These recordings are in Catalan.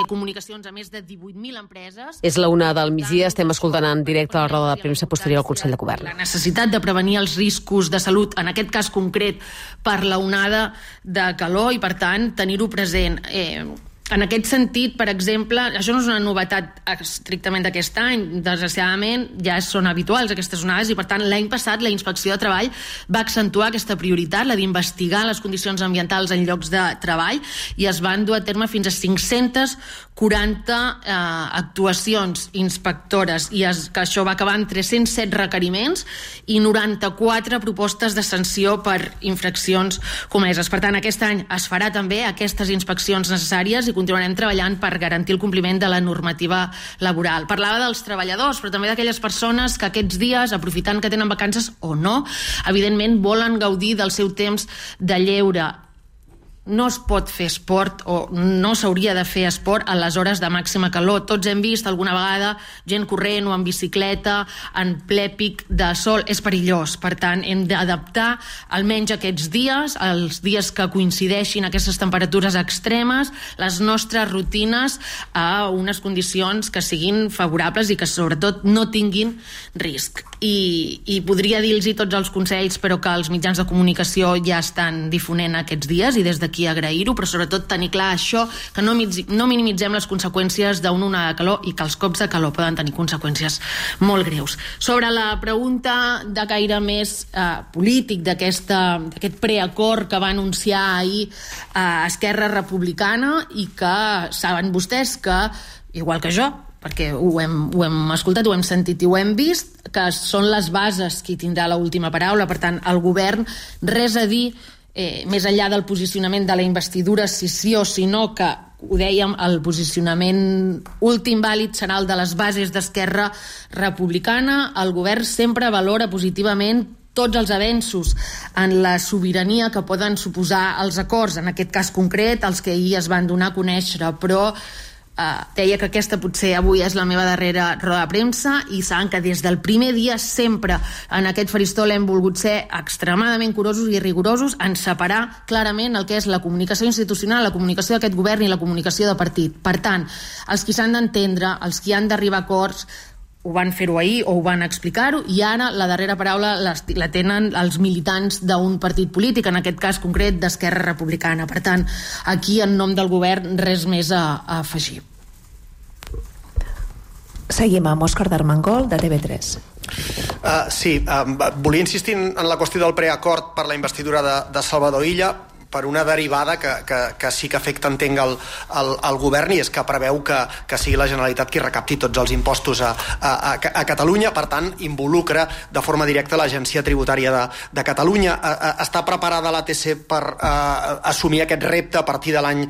comunicacions a més de 18.000 empreses. És la 1 del migdia, estem escoltant en directe la roda de premsa posterior al Consell de Govern. La necessitat de prevenir els riscos de salut, en aquest cas concret, per la onada de calor i, per tant, tenir-ho present. En aquest sentit, per exemple, això no és una novetat estrictament d'aquest any, desgraciadament ja són habituals aquestes onades i, per tant, l'any passat la Inspecció de Treball va accentuar aquesta prioritat, la d'investigar les condicions ambientals en llocs de treball, i es van dur a terme fins a 540 actuacions inspectores, i que això va acabar en 307 requeriments i 94 propostes de sanció per infraccions comeses. Per tant, aquest any es farà també aquestes inspeccions necessàries i continuarem treballant per garantir el compliment de la normativa laboral. Parlava dels treballadors, però també d'aquelles persones que aquests dies, aprofitant que tenen vacances o no, evidentment volen gaudir del seu temps de lleure. No es pot fer esport, o no s'hauria de fer esport a les hores de màxima calor. Tots hem vist alguna vegada gent corrent o en bicicleta en ple pic de sol. És perillós. Per tant, hem d'adaptar almenys aquests dies, els dies que coincideixin aquestes temperatures extremes, les nostres rutines a unes condicions que siguin favorables i que sobretot no tinguin risc. I podria dir-los tots els consells, però que els mitjans de comunicació ja estan difonent aquests dies, i des d'aquí agrair-ho, però sobretot tenir clar això, que no minimitzem les conseqüències d'una onada de calor i que els cops de calor poden tenir conseqüències molt greus. Sobre la pregunta de caire més polític d'aquest preacord que va anunciar ahir Esquerra Republicana, i que saben vostès que, igual que jo, perquè ho hem escoltat, ho hem sentit i ho hem vist, que són les bases qui tindrà l'última paraula. Per tant, el govern res a dir més enllà del posicionament de la investidura, si sí o si no, que ho dèiem, el posicionament últim vàlid serà el de les bases d'Esquerra Republicana. El govern sempre valora positivament tots els avenços en la sobirania que poden suposar els acords, en aquest cas concret, els que ahir es van donar a conèixer, però deia que aquesta potser avui és la meva darrera roda de premsa, i saben que des del primer dia sempre en aquest faristol hem volgut ser extremadament curosos i rigorosos en separar clarament el que és la comunicació institucional, la comunicació d'aquest govern i la comunicació de partit. Per tant, els qui s'han d'entendre, els qui han d'arribar a acords, ho van fer-ho ahir o ho van explicar-ho, i ara la darrera paraula la tenen els militants d'un partit polític, en aquest cas concret d'Esquerra Republicana. Per tant, aquí en nom del govern res més a afegir. Seguim amb Òscar d'Armengol, de TV3. Sí, volia insistir en la qüestió del preacord per la investidura de Salvador Illa, per una derivada que sí que afecta, entenc, el govern, i és que preveu que sigui la Generalitat qui recapti tots els impostos a Catalunya. Per tant, involucra de forma directa l'Agència Tributària de Catalunya. Està preparada l'ATC per assumir aquest repte a partir de l'any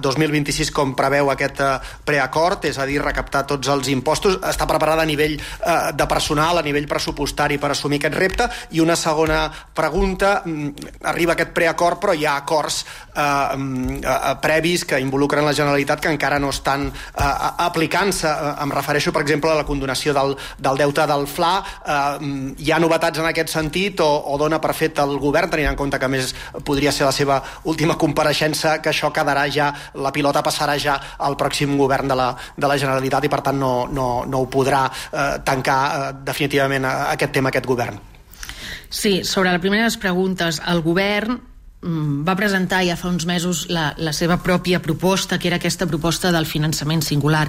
2026, com preveu aquest preacord, és a dir, recaptar tots els impostos? Està preparada a nivell de personal, a nivell pressupostari, per assumir aquest repte? I una segona pregunta: arriba aquest preacord, però hi ha acords previs que involucren la Generalitat que encara no estan aplicant-se. Em refereixo, per exemple, a la condonació del deute del FLA. Hi ha novetats en aquest sentit, o dona per fet el govern, tenint en compte que, a més, podria ser la seva última compareixença, que això quedarà ja, la pilota passarà ja al pròxim govern de la Generalitat, i per tant no ho podrà tancar definitivament aquest tema, aquest govern? Sí, sobre la primera de les preguntes, el govern va presentar ja fa uns mesos la seva pròpia proposta, que era aquesta proposta del finançament singular,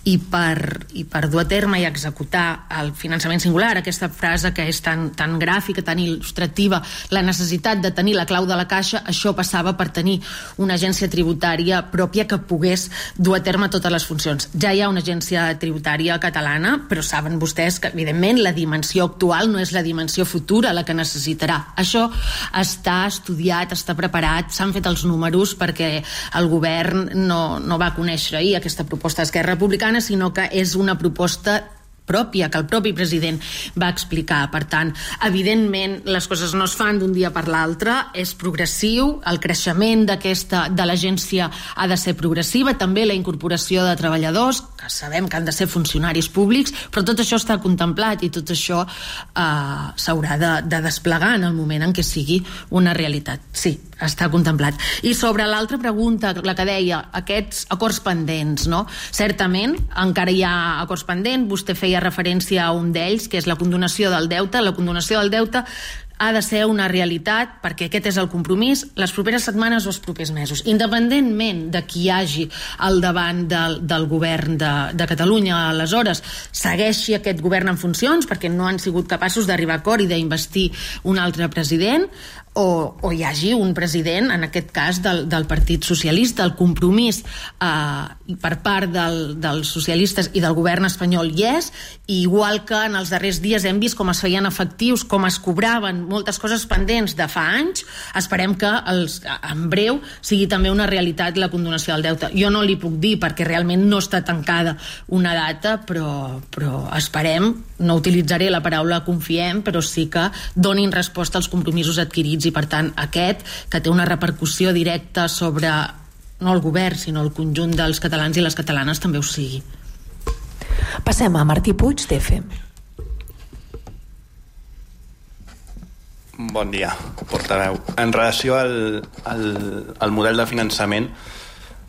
i per dur a terme i executar el finançament singular, aquesta frase que és tan gràfica, tan il·lustrativa, la necessitat de tenir la clau de la caixa, això passava per tenir una agència tributària pròpia que pogués dur a terme totes les funcions. Ja hi ha una agència tributària catalana, però saben vostès que, evidentment, la dimensió actual no és la dimensió futura la que necessitarà. Això està estudiat, està preparat, s'han fet els números, perquè el govern no va conèixer ahir aquesta proposta d'Esquerra Republicana, sinó que és una proposta pròpia, que el propi president va explicar. Per tant, evidentment, les coses no es fan d'un dia per l'altre, és progressiu, el creixement de l'agència ha de ser progressiva, també la incorporació de treballadors, que sabem que han de ser funcionaris públics, però tot això està contemplat, i tot això s'haurà de desplegar en el moment en què sigui una realitat. Sí, està contemplat. I sobre l'altra pregunta, la que deia, aquests acords pendents, no? Certament, encara hi ha acords pendents, vostè feia referència a un d'ells, que és la condonació del deute. La condonació del deute ha de ser una realitat, perquè aquest és el compromís, les properes setmanes o els propers mesos. Independentment de qui hi hagi al davant del govern de Catalunya, aleshores segueixi aquest govern en funcions, perquè no han sigut capaços d'arribar a acord i d'investir un altre president, o hi hagi un president, en aquest cas del Partit Socialista. El compromís per part dels socialistes i del govern espanyol hi és, i igual que en els darrers dies hem vist com es feien efectius, com es cobraven moltes coses pendents de fa anys, esperem que en breu sigui també una realitat la condonació del deute. Jo no li puc dir perquè realment no està tancada una data, però esperem, no utilitzaré la paraula confiem, però sí que donin resposta als compromisos adquirits, i per tant aquest, que té una repercussió directa sobre no el govern sinó el conjunt dels catalans i les catalanes, també ho sigui. Passem a Martí Puig, d'EFEM. Bon dia, portaveu. En relació al model de finançament,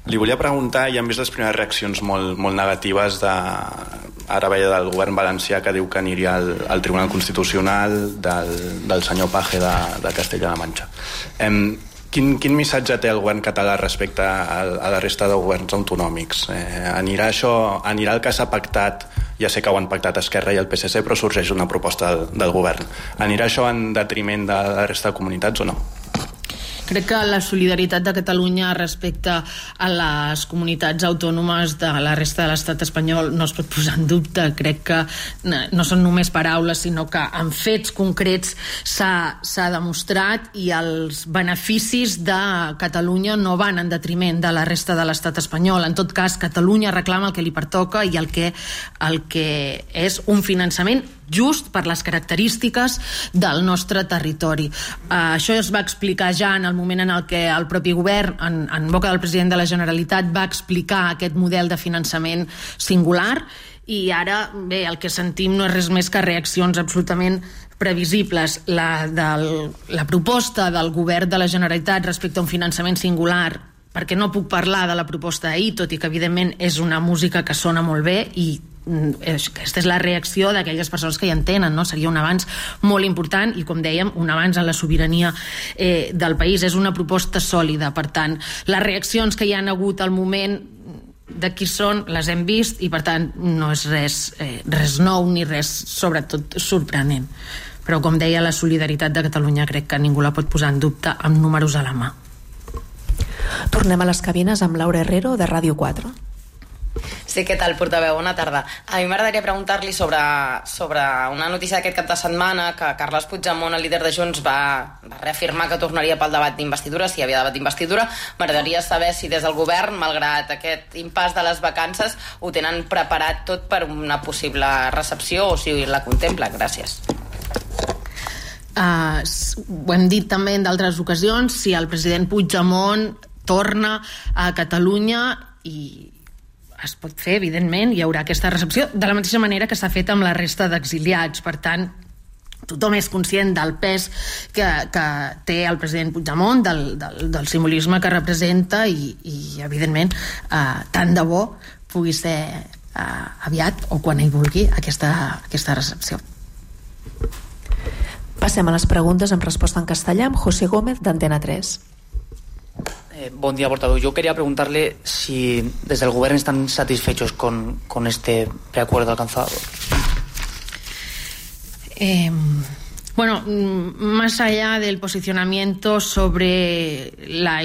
li volia preguntar, i hem vist les primeres reaccions molt negatives ara veia del govern valencià, que diu que aniria al Tribunal Constitucional, del senyor Page de Castella-La Manxa. Quin missatge té el govern català respecte a la resta de governs autonòmics? Anirà el que s'ha pactat, ja sé que ho han pactat Esquerra i el PSC, però sorgeix una proposta del govern. Anirà això en detriment de la resta de comunitats o no? Crec que la solidaritat de Catalunya respecte a les comunitats autònomes de la resta de l'estat espanyol no es pot posar en dubte. Crec que no són només paraules, sinó que en fets concrets s'ha demostrat, i els beneficis de Catalunya no van en detriment de la resta de l'estat espanyol. En tot cas, Catalunya reclama el que li pertoca, i el que és un finançament just per les característiques del nostre territori. Això es va explicar ja en el moment en el que el propi govern, en boca del president de la Generalitat, va explicar aquest model de finançament singular, i ara, bé, el que sentim no és res més que reaccions absolutament previsibles. La proposta del govern de la Generalitat respecte a un finançament singular, perquè no puc parlar de la proposta d'ahir, tot i que evidentment és una música que sona molt bé, i aquesta és la reacció d'aquelles persones que hi entenen, no? Seria un avanç molt important, i com dèiem, un avanç en la sobirania del país. És una proposta sòlida. Per tant, les reaccions que hi han hagut al moment de qui són les hem vist, i per tant no és res nou ni res sobretot sorprenent. Però com deia, la solidaritat de Catalunya crec que ningú la pot posar en dubte amb números a la mà. Tornem a les cabines amb Laura Herrero, de Ràdio 4. Sí, què tal, portaveu? Bona tarda. A mi m'agradaria preguntar-li sobre una notícia d'aquest cap de setmana, que Carles Puigdemont, el líder de Junts, va reafirmar que tornaria pel debat d'investidura, si hi havia debat d'investidura. M'agradaria saber si des del govern, malgrat aquest impàs de les vacances, ho tenen preparat tot per una possible recepció, o si la contemplen. Gràcies. Ho hem dit també en d'altres ocasions, si el president Puigdemont torna a Catalunya, i es pot fer, evidentment, hi haurà aquesta recepció, de la mateixa manera que s'ha fet amb la resta d'exiliats. Per tant, tothom és conscient del pes que té el president Puigdemont, del simbolisme que representa, i evidentment, tant de bo pugui ser aviat, o quan ell vulgui, aquesta recepció. Passem a les preguntes amb resposta en castellà amb José Gómez, d'Antena 3. Buen día, portavoz. Yo quería preguntarle si desde el gobierno están satisfechos con este preacuerdo alcanzado. Bueno, más allá del posicionamiento sobre la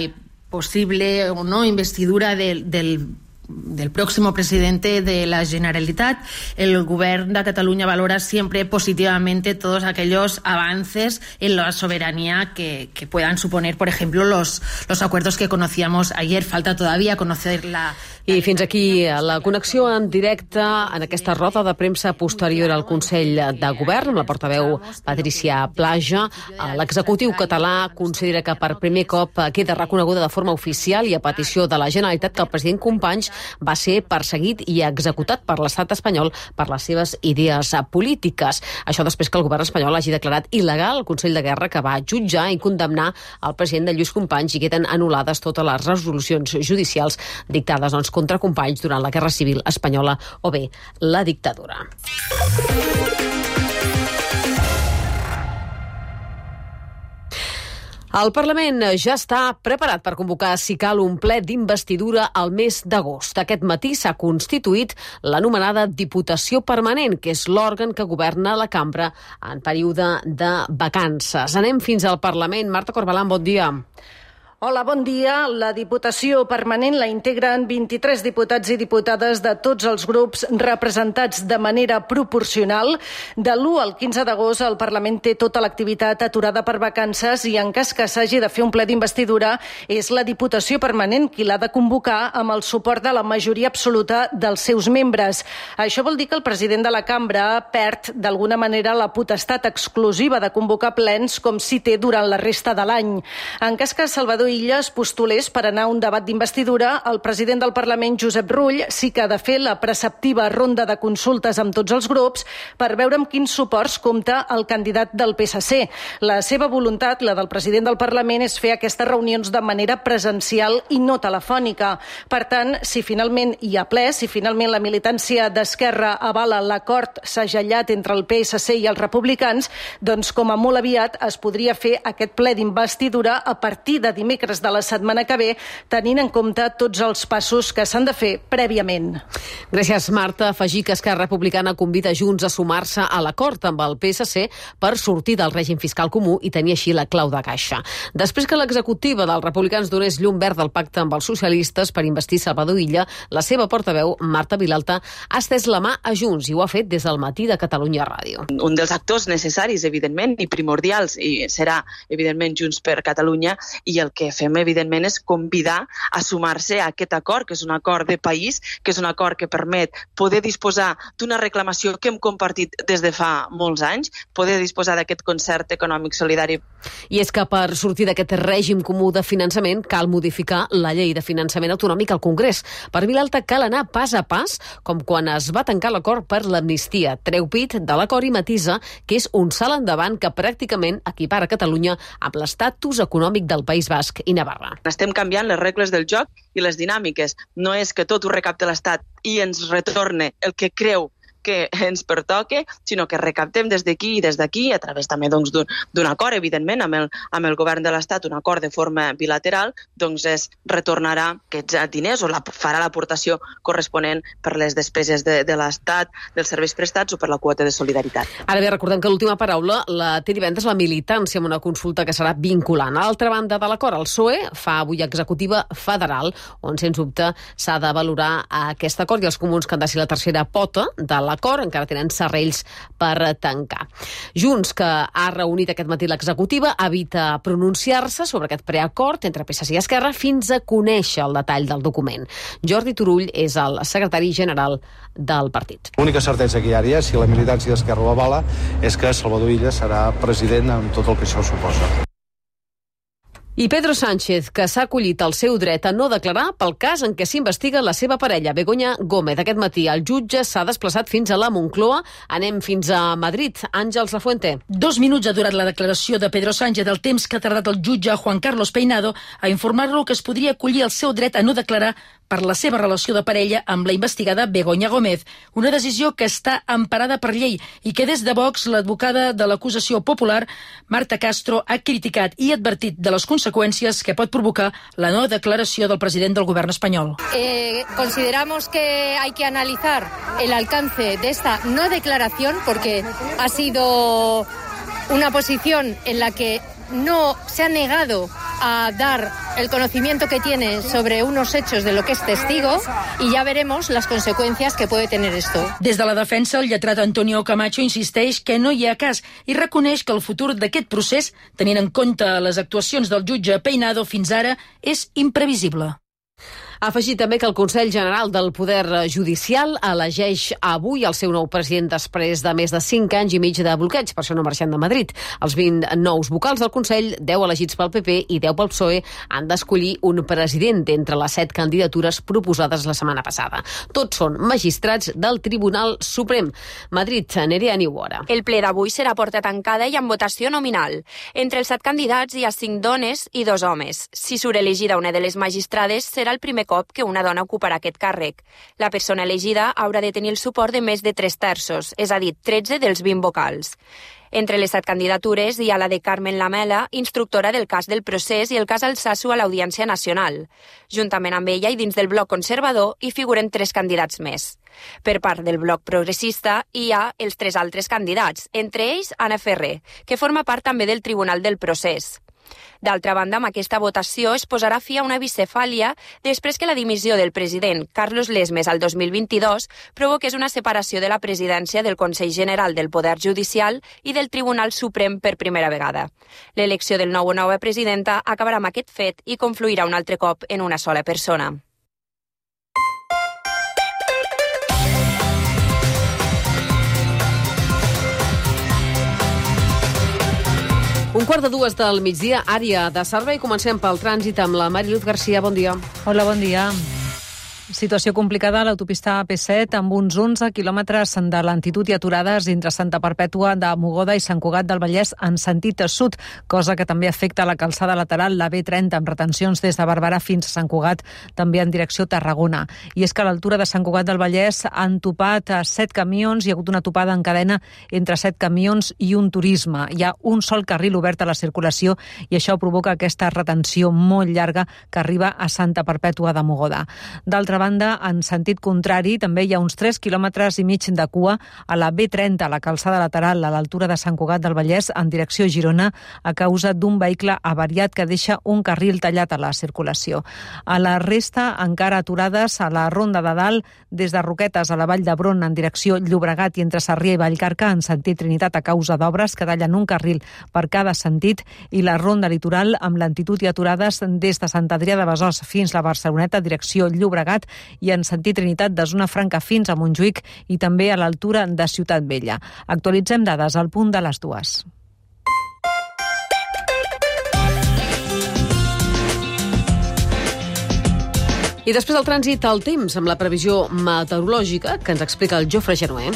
posible o no investidura del próximo presidente de la Generalitat, el Govern de Cataluña valora siempre positivamente todos aquellos avances en la soberanía que puedan suponer, por ejemplo, los acuerdos que conocíamos ayer. Falta todavía conocer la... I fins aquí la connexió en directe en aquesta roda de premsa posterior al Consell de Govern amb la portaveu Patricia Plaja. L'executiu català considera que per primer cop queda reconeguda de forma oficial i a petició de la Generalitat que el president Companys va ser perseguit i executat per l'estat espanyol per les seves idees polítiques. Això després que el govern espanyol hagi declarat il·legal el Consell de Guerra, que va jutjar i condemnar el president de Lluís Companys, i queden anul·lades totes les resolucions judicials dictades contra Companys durant la Guerra Civil espanyola o bé la dictadura. El Parlament ja està preparat per convocar, si cal, un ple d'investidura al mes d'agost. Aquest matí s'ha constituït l'anomenada Diputació Permanent, que és l'òrgan que governa la cambra en període de vacances. Anem fins al Parlament. Marta Corbalán, bon dia. Hola, bon dia. La Diputació Permanent la integren 23 diputats i diputades de tots els grups representats de manera proporcional. De l'1 al 15 d'agost el Parlament té tota l'activitat aturada per vacances i en cas que s'hagi de fer un ple d'investidura és la Diputació Permanent qui l'ha de convocar amb el suport de la majoria absoluta dels seus membres. Això vol dir que el president de la cambra perd d'alguna manera la potestat exclusiva de convocar plens com si té durant la resta de l'any. En cas que Salvador Illa es postulés per anar a un debat d'investidura, el president del Parlament, Josep Rull, sí que ha de fer la preceptiva ronda de consultes amb tots els grups per veure amb quins suports compta el candidat del PSC. La seva voluntat, la del president del Parlament, és fer aquestes reunions de manera presencial i no telefònica. Per tant, si finalment hi ha ple, si finalment la militància d'Esquerra avala l'acord segellat entre el PSC i els republicans, doncs com a molt aviat es podria fer aquest ple d'investidura a partir de dimecres de la setmana que ve, tenint en compte tots els passos que s'han de fer prèviament. Gràcies, Marta. Afegir que Esquerra Republicana convida Junts a sumar-se a l'acord amb el PSC per sortir del règim fiscal comú i tenir així la clau de caixa. Després que l'executiva dels republicans donés llum verd al pacte amb els socialistes per investir Salvador Illa, la seva portaveu, Marta Vilalta, ha estès la mà a Junts i ho ha fet des del matí de Catalunya Ràdio. Un dels actors necessaris, evidentment, i primordials, i serà, evidentment, Junts per Catalunya, i el que fem, evidentment, és convidar a sumar-se a aquest acord, que és un acord de país, que és un acord que permet poder disposar d'una reclamació que hem compartit des de fa molts anys, poder disposar d'aquest concert econòmic solidari. I és que per sortir d'aquest règim comú de finançament cal modificar la llei de finançament autonòmic al Congrés. Per Vilalta cal anar pas a pas, com quan es va tancar l'acord per l'amnistia. Treu pit de l'acord i matisa que és un salt endavant que pràcticament equipara Catalunya amb l'estatus econòmic del País Basc i Navarra. Estem canviant les regles del joc i les dinàmiques. No és que tot ho recapte l'Estat i ens retorne el que creu que ens pertoque, sinó que recaptem des d'aquí i des d'aquí, a través també doncs, d'un acord, evidentment, amb el govern de l'Estat, un acord de forma bilateral, doncs es retornarà aquests diners o farà l'aportació corresponent per les despeses de l'Estat, dels serveis prestats o per la quota de solidaritat. Ara bé, recordem que l'última paraula la té divendres la militància amb una consulta que serà vinculant. A l'altra banda de l'acord, el PSOE fa avui executiva federal, on sens dubte s'ha de valorar aquest acord i els comuns que han de ser la tercera pota de l'acord, encara tenen serrells per tancar. Junts, que ha reunit aquest matí l'executiva, evita pronunciar-se sobre aquest preacord entre PSC i Esquerra fins a conèixer el detall del document. Jordi Turull és el secretari general del partit. L'única certesa que hi ha, si la militància d'Esquerra ho avala, és que Salvador Illa serà president amb tot el que això suposa. I Pedro Sánchez, que s'ha acollit el seu dret a no declarar pel cas en què s'investiga la seva parella, Begoña Gómez. Aquest matí el jutge s'ha desplaçat fins a la Moncloa. Anem fins a Madrid. Àngels Lafuente. 2 minuts ha durat la declaració de Pedro Sánchez, el temps que ha tardat el jutge Juan Carlos Peinado a informar-lo que es podria acollir el seu dret a no declarar per la seva relació de parella amb la investigada Begoña Gómez, una decisió que està emparada per llei i que des de Vox l'advocada de l'acusació popular, Marta Castro, ha criticat i advertit de les conseqüències que pot provocar la no declaració del president del govern espanyol. Consideramos que hay que analizar el alcance de esta no declaración porque ha sido una posición en la que no se ha negado a dar el conocimiento que tiene sobre unos hechos de lo que es testigo y ya veremos las consecuencias que puede tener esto. Des de la defensa, el lletrat Antonio Camacho insisteix que no hi ha cas i reconeix que el futur d'aquest procés, tenint en compte les actuacions del jutge Peinado fins ara, és imprevisible. Ha afegit també que el Consell General del Poder Judicial elegeix avui el seu nou president després de més de 5 anys i mig de bloqueig, per això no marxant de Madrid. Els 20 nous vocals del Consell, 10 elegits pel PP i 10 pel PSOE, han d'escollir un president entre les 7 candidatures proposades la setmana passada. Tots són magistrats del Tribunal Suprem. Madrid, Nerea Niuora. El ple d'avui serà porta tancada i amb votació nominal. Entre els 7 candidats hi ha 5 dones i 2 homes. Si surt elegida una de les magistrades, serà el primer cop que una dona ocuparà aquest càrrec. La persona elegida haurà de tenir el suport de més de 3/3, és a dir, 13 dels 20 vocals. Entre les 7 candidatures hi ha la de Carmen Lamela, instructora del cas del procés, i el cas Alsasu a l'Audiència Nacional. Juntament amb ella i dins del bloc conservador hi figuren 3 candidats més. Per part del bloc progressista hi ha els 3 altres candidats, entre ells Anna Ferrer, que forma part també del Tribunal del Procés. D'altra banda, amb aquesta votació es posarà fi a una bicefàlia després que la dimissió del president Carlos Lesmes al 2022 provoqués una separació de la presidència del Consell General del Poder Judicial i del Tribunal Suprem per primera vegada. L'elecció del nou o nova presidenta acabarà amb aquest fet i confluirà un altre cop en una sola persona. Un quart de 2 del migdia, àrea de servei. Comencem pel trànsit amb la Mariluz Garcia. Bon dia. Hola, bon dia. Situació complicada a l'autopista AP7 amb uns 11 quilòmetres de lentitud i aturades entre Santa Perpètua de Mogoda i Sant Cugat del Vallès en sentit sud, cosa que també afecta la calçada lateral, la B30, amb retencions des de Barberà fins a Sant Cugat, també en direcció Tarragona. I és que a l'altura de Sant Cugat del Vallès han topat 7 camions, hi ha hagut una topada en cadena entre 7 camions i un turisme. Hi ha un sol carril obert a la circulació i això provoca aquesta retenció molt llarga que arriba a Santa Perpètua de Mogoda. D'altra banda, en sentit contrari, també hi ha uns 3 quilòmetres i mig de cua a la B30, a la calçada lateral, a l'altura de Sant Cugat del Vallès, en direcció Girona, a causa d'un vehicle avariat que deixa un carril tallat a la circulació. A la resta, encara aturades a la Ronda de Dalt, des de Roquetes a la Vall d'Hebron, en direcció Llobregat i entre Sarrià i Vallcarca, en sentit Trinitat, a causa d'obres que tallen un carril per cada sentit, i la Ronda Litoral, amb lentitud i aturades des de Sant Adrià de Besòs fins a la Barceloneta, direcció Llobregat, i en sentit Trinitat de Zona Franca fins a Montjuïc i també a l'altura de Ciutat Vella. Actualitzem dades al punt de les 2. I després del trànsit, el temps, amb la previsió meteorològica que ens explica el Jofre Genuer.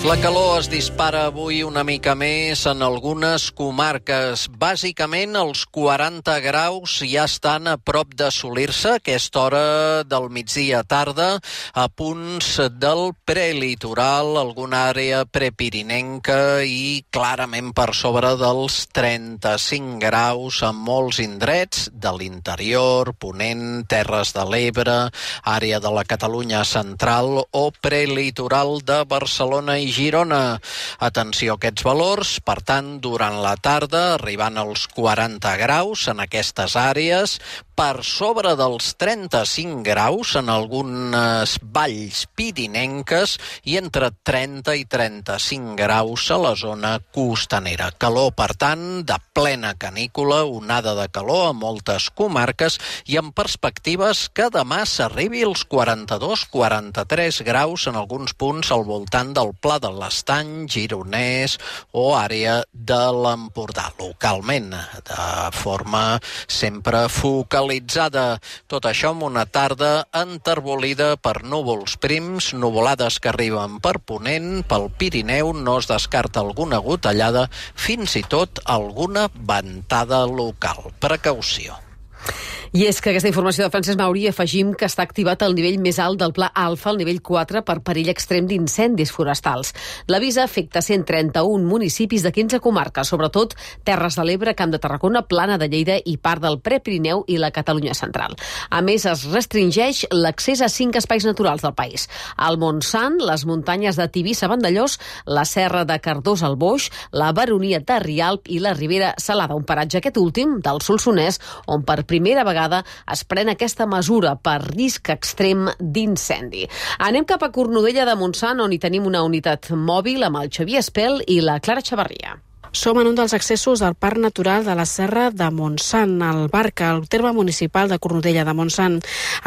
La calor es dispara avui una mica més en algunes comarques. Bàsicament, els 40 graus ja estan a prop d'assolir-se a aquesta hora del migdia tarda, a punts del prelitoral, alguna àrea prepirinenca i clarament per sobre dels 35 graus en molts indrets de l'interior, Ponent, Terres de l'Ebre, àrea de la Catalunya central o prelitoral de Barcelona i Girona. Atenció a aquests valors, per tant, durant la tarda, arribant als 40 graus en aquestes àrees, per sobre dels 35 graus en algunes valls pirinenques i entre 30 i 35 graus a la zona costanera. Calor, per tant, de plena canícula, onada de calor a moltes comarques i amb perspectives que demà s'arribi als 42-43 graus en alguns punts al voltant del Pla de l'Estany, Gironès o àrea de l'Empordà, localment, de forma sempre focalitzada. Tot això amb una tarda enterbolida per núvols prims, nuvolades que arriben per Ponent, pel Pirineu no es descarta alguna gotellada, fins i tot alguna ventada local. Precaució. I és que aquesta informació de Francesc Mauri afegim que està activat el nivell més alt del Pla Alfa, el nivell 4, per perill extrem d'incendis forestals. L'avís afecta 131 municipis de 15 comarques, sobretot Terres de l'Ebre, Camp de Tarragona, Plana de Lleida i part del Prepirineu i la Catalunya central. A més, es restringeix l'accés a 5 espais naturals del país. El Montsant, les muntanyes de Tivissa-Vandellós, la Serra de Cardós al Boix, la Baronia de Rialp i la Ribera Salada, un paratge aquest últim del Solsonès, on per primera vegada es pren aquesta mesura per risc extrem d'incendi. Anem cap a Cornudella de Montsant, on hi tenim una unitat mòbil amb el Xavier Espel i la Clara Xavarria. Som en un dels accessos del Parc Natural de la Serra de Montsant, al Barca, al terme municipal de Cornudella de Montsant.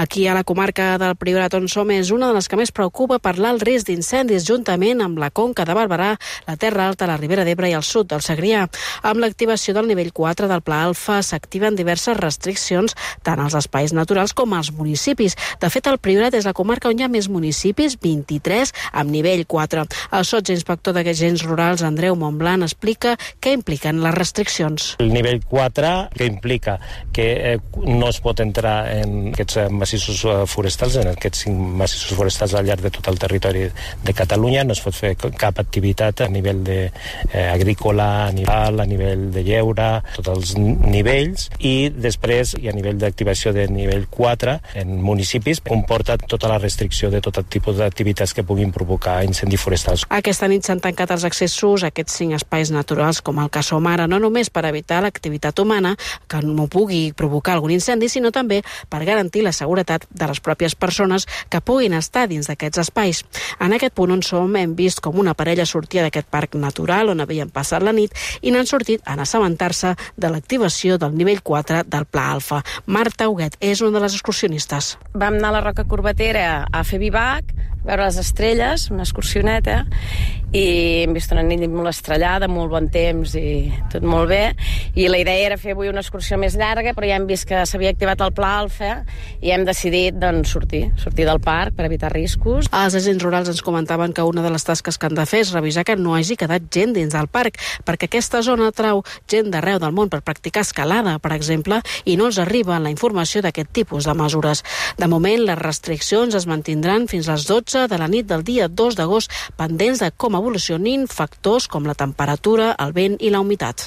Aquí a la comarca del Priorat on som és una de les que més preocupa per l'alt risc d'incendis juntament amb la Conca de Barberà, la Terra Alta, la Ribera d'Ebre i el sud del Segrià. Amb l'activació del nivell 4 del Pla Alfa s'activen diverses restriccions tant als espais naturals com als municipis. De fet, el Priorat és la comarca on hi ha més municipis, 23, amb nivell 4. El sotsinspector d'Agents Rurals, Andreu Montblanc, explica què impliquen les restriccions. El nivell 4, que implica que no es pot entrar en aquests massissos forestals, en aquests 5 massissos forestals al llarg de tot el territori de Catalunya, no es pot fer cap activitat a nivell agrícola, a nivell de lleure, tots els nivells, i després, i a nivell d'activació de nivell 4, en municipis, comporta tota la restricció de tot tipus d'activitats que puguin provocar incendis forestals. Aquesta nit s'han tancat els accessos a aquests 5 espais naturals, com el que som ara, no només per evitar l'activitat humana, que no pugui provocar algun incendi, sinó també per garantir la seguretat de les pròpies persones que puguin estar dins d'aquests espais. En aquest punt on som hem vist com una parella sortia d'aquest parc natural on havien passat la nit i n'han sortit a assabentar-se de l'activació del nivell 4 del Pla Alfa. Marta Huguet és una de les excursionistes. Vam anar a la Roca Corbatera a fer bivac, veure les estrelles, una excursioneta, i hem vist una nit molt estrellada, molt bon temps i tot molt bé, i la idea era fer avui una excursió més llarga, però ja hem vist que s'havia activat el Pla Alfa i hem decidit sortir del parc per evitar riscos. Els agents rurals ens comentaven que una de les tasques que han de fer és revisar que no hagi quedat gent dins del parc, perquè aquesta zona atrau gent d'arreu del món per practicar escalada, per exemple, i no els arriba la informació d'aquest tipus de mesures. De moment, les restriccions es mantindran fins a les 12 de la nit del dia 2 d'agost, pendents de com evolucionin factors com la temperatura, el vent i la humitat.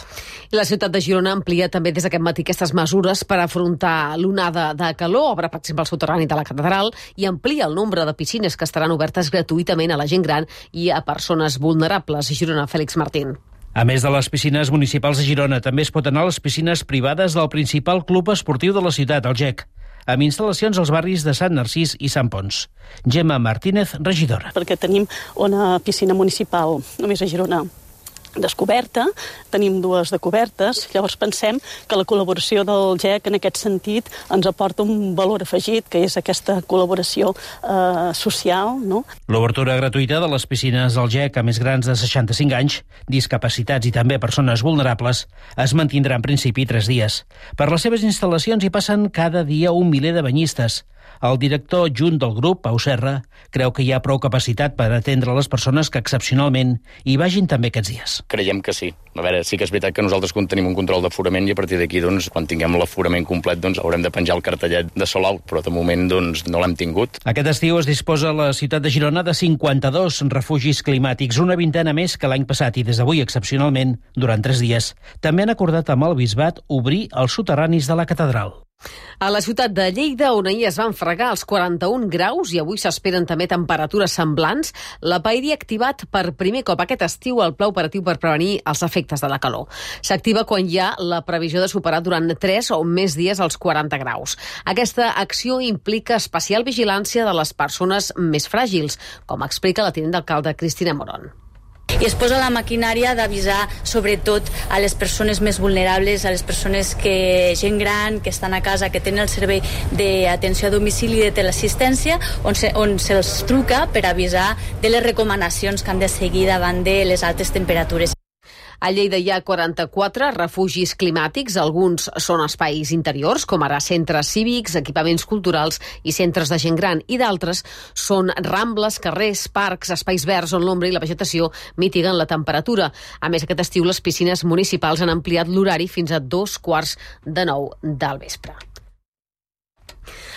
La ciutat de Girona amplia també des d'aquest matí aquestes mesures per afrontar l'onada de calor, obre, per exemple, el soterrani de la catedral i amplia el nombre de piscines que estaran obertes gratuïtament a la gent gran i a persones vulnerables. Girona, Fèlix Martín. A més de les piscines municipals de Girona, també es pot anar a les piscines privades del principal club esportiu de la ciutat, el GEC, amb instal·lacions als barris de Sant Narcís i Sant Pons. Gemma Martínez, regidora. Perquè tenim una piscina municipal, només a Girona, descoberta, tenim 2 de cobertes, llavors pensem que la col·laboració del GEC en aquest sentit ens aporta un valor afegit, que és aquesta col·laboració social, no? L'obertura gratuïta de les piscines del GEC a més grans de 65 anys, discapacitats i també persones vulnerables, es mantindrà en principi 3 dies. Per les seves instal·lacions hi passen cada dia 1 miler de banyistes. El director adjunt del grup, Pau Serra, creu que hi ha prou capacitat per atendre les persones que excepcionalment hi vagin també aquests dies. Creiem que sí. A veure, sí que és veritat que nosaltres tenim un control d'aforament i a partir d'aquí, quan tinguem l'aforament complet, haurem de penjar el cartellet de sold out, però de moment no l'hem tingut. Aquest estiu es disposa a la ciutat de Girona de 52 refugis climàtics, una vintena més que l'any passat i des d'avui, excepcionalment, durant 3 dies. També han acordat amb el bisbat obrir els soterranis de la catedral. A la ciutat de Lleida, on ahir es van fregar els 41 graus i avui s'esperen també temperatures semblants, la PAIRI ha activat per primer cop aquest estiu el pla operatiu per prevenir els efectes de la calor. S'activa quan hi ha la previsió de superar durant 3 o més dies els 40 graus. Aquesta acció implica especial vigilància de les persones més fràgils, com explica la tinent d'alcalde Cristina Morón. I es posa la maquinària d'avisar sobretot a les persones més vulnerables, a les persones gent gran, que estan a casa, que tenen el servei d'atenció a domicili i de teleassistència, on se'ls truca per avisar de les recomanacions que han de seguir davant de les altes temperatures. A Lleida hi ha 44 refugis climàtics, alguns són espais interiors, com ara centres cívics, equipaments culturals i centres de gent gran, i d'altres són rambles, carrers, parcs, espais verds on l'ombra i la vegetació mitiguen la temperatura. A més, aquest estiu les piscines municipals han ampliat l'horari fins a 8:45 del vespre.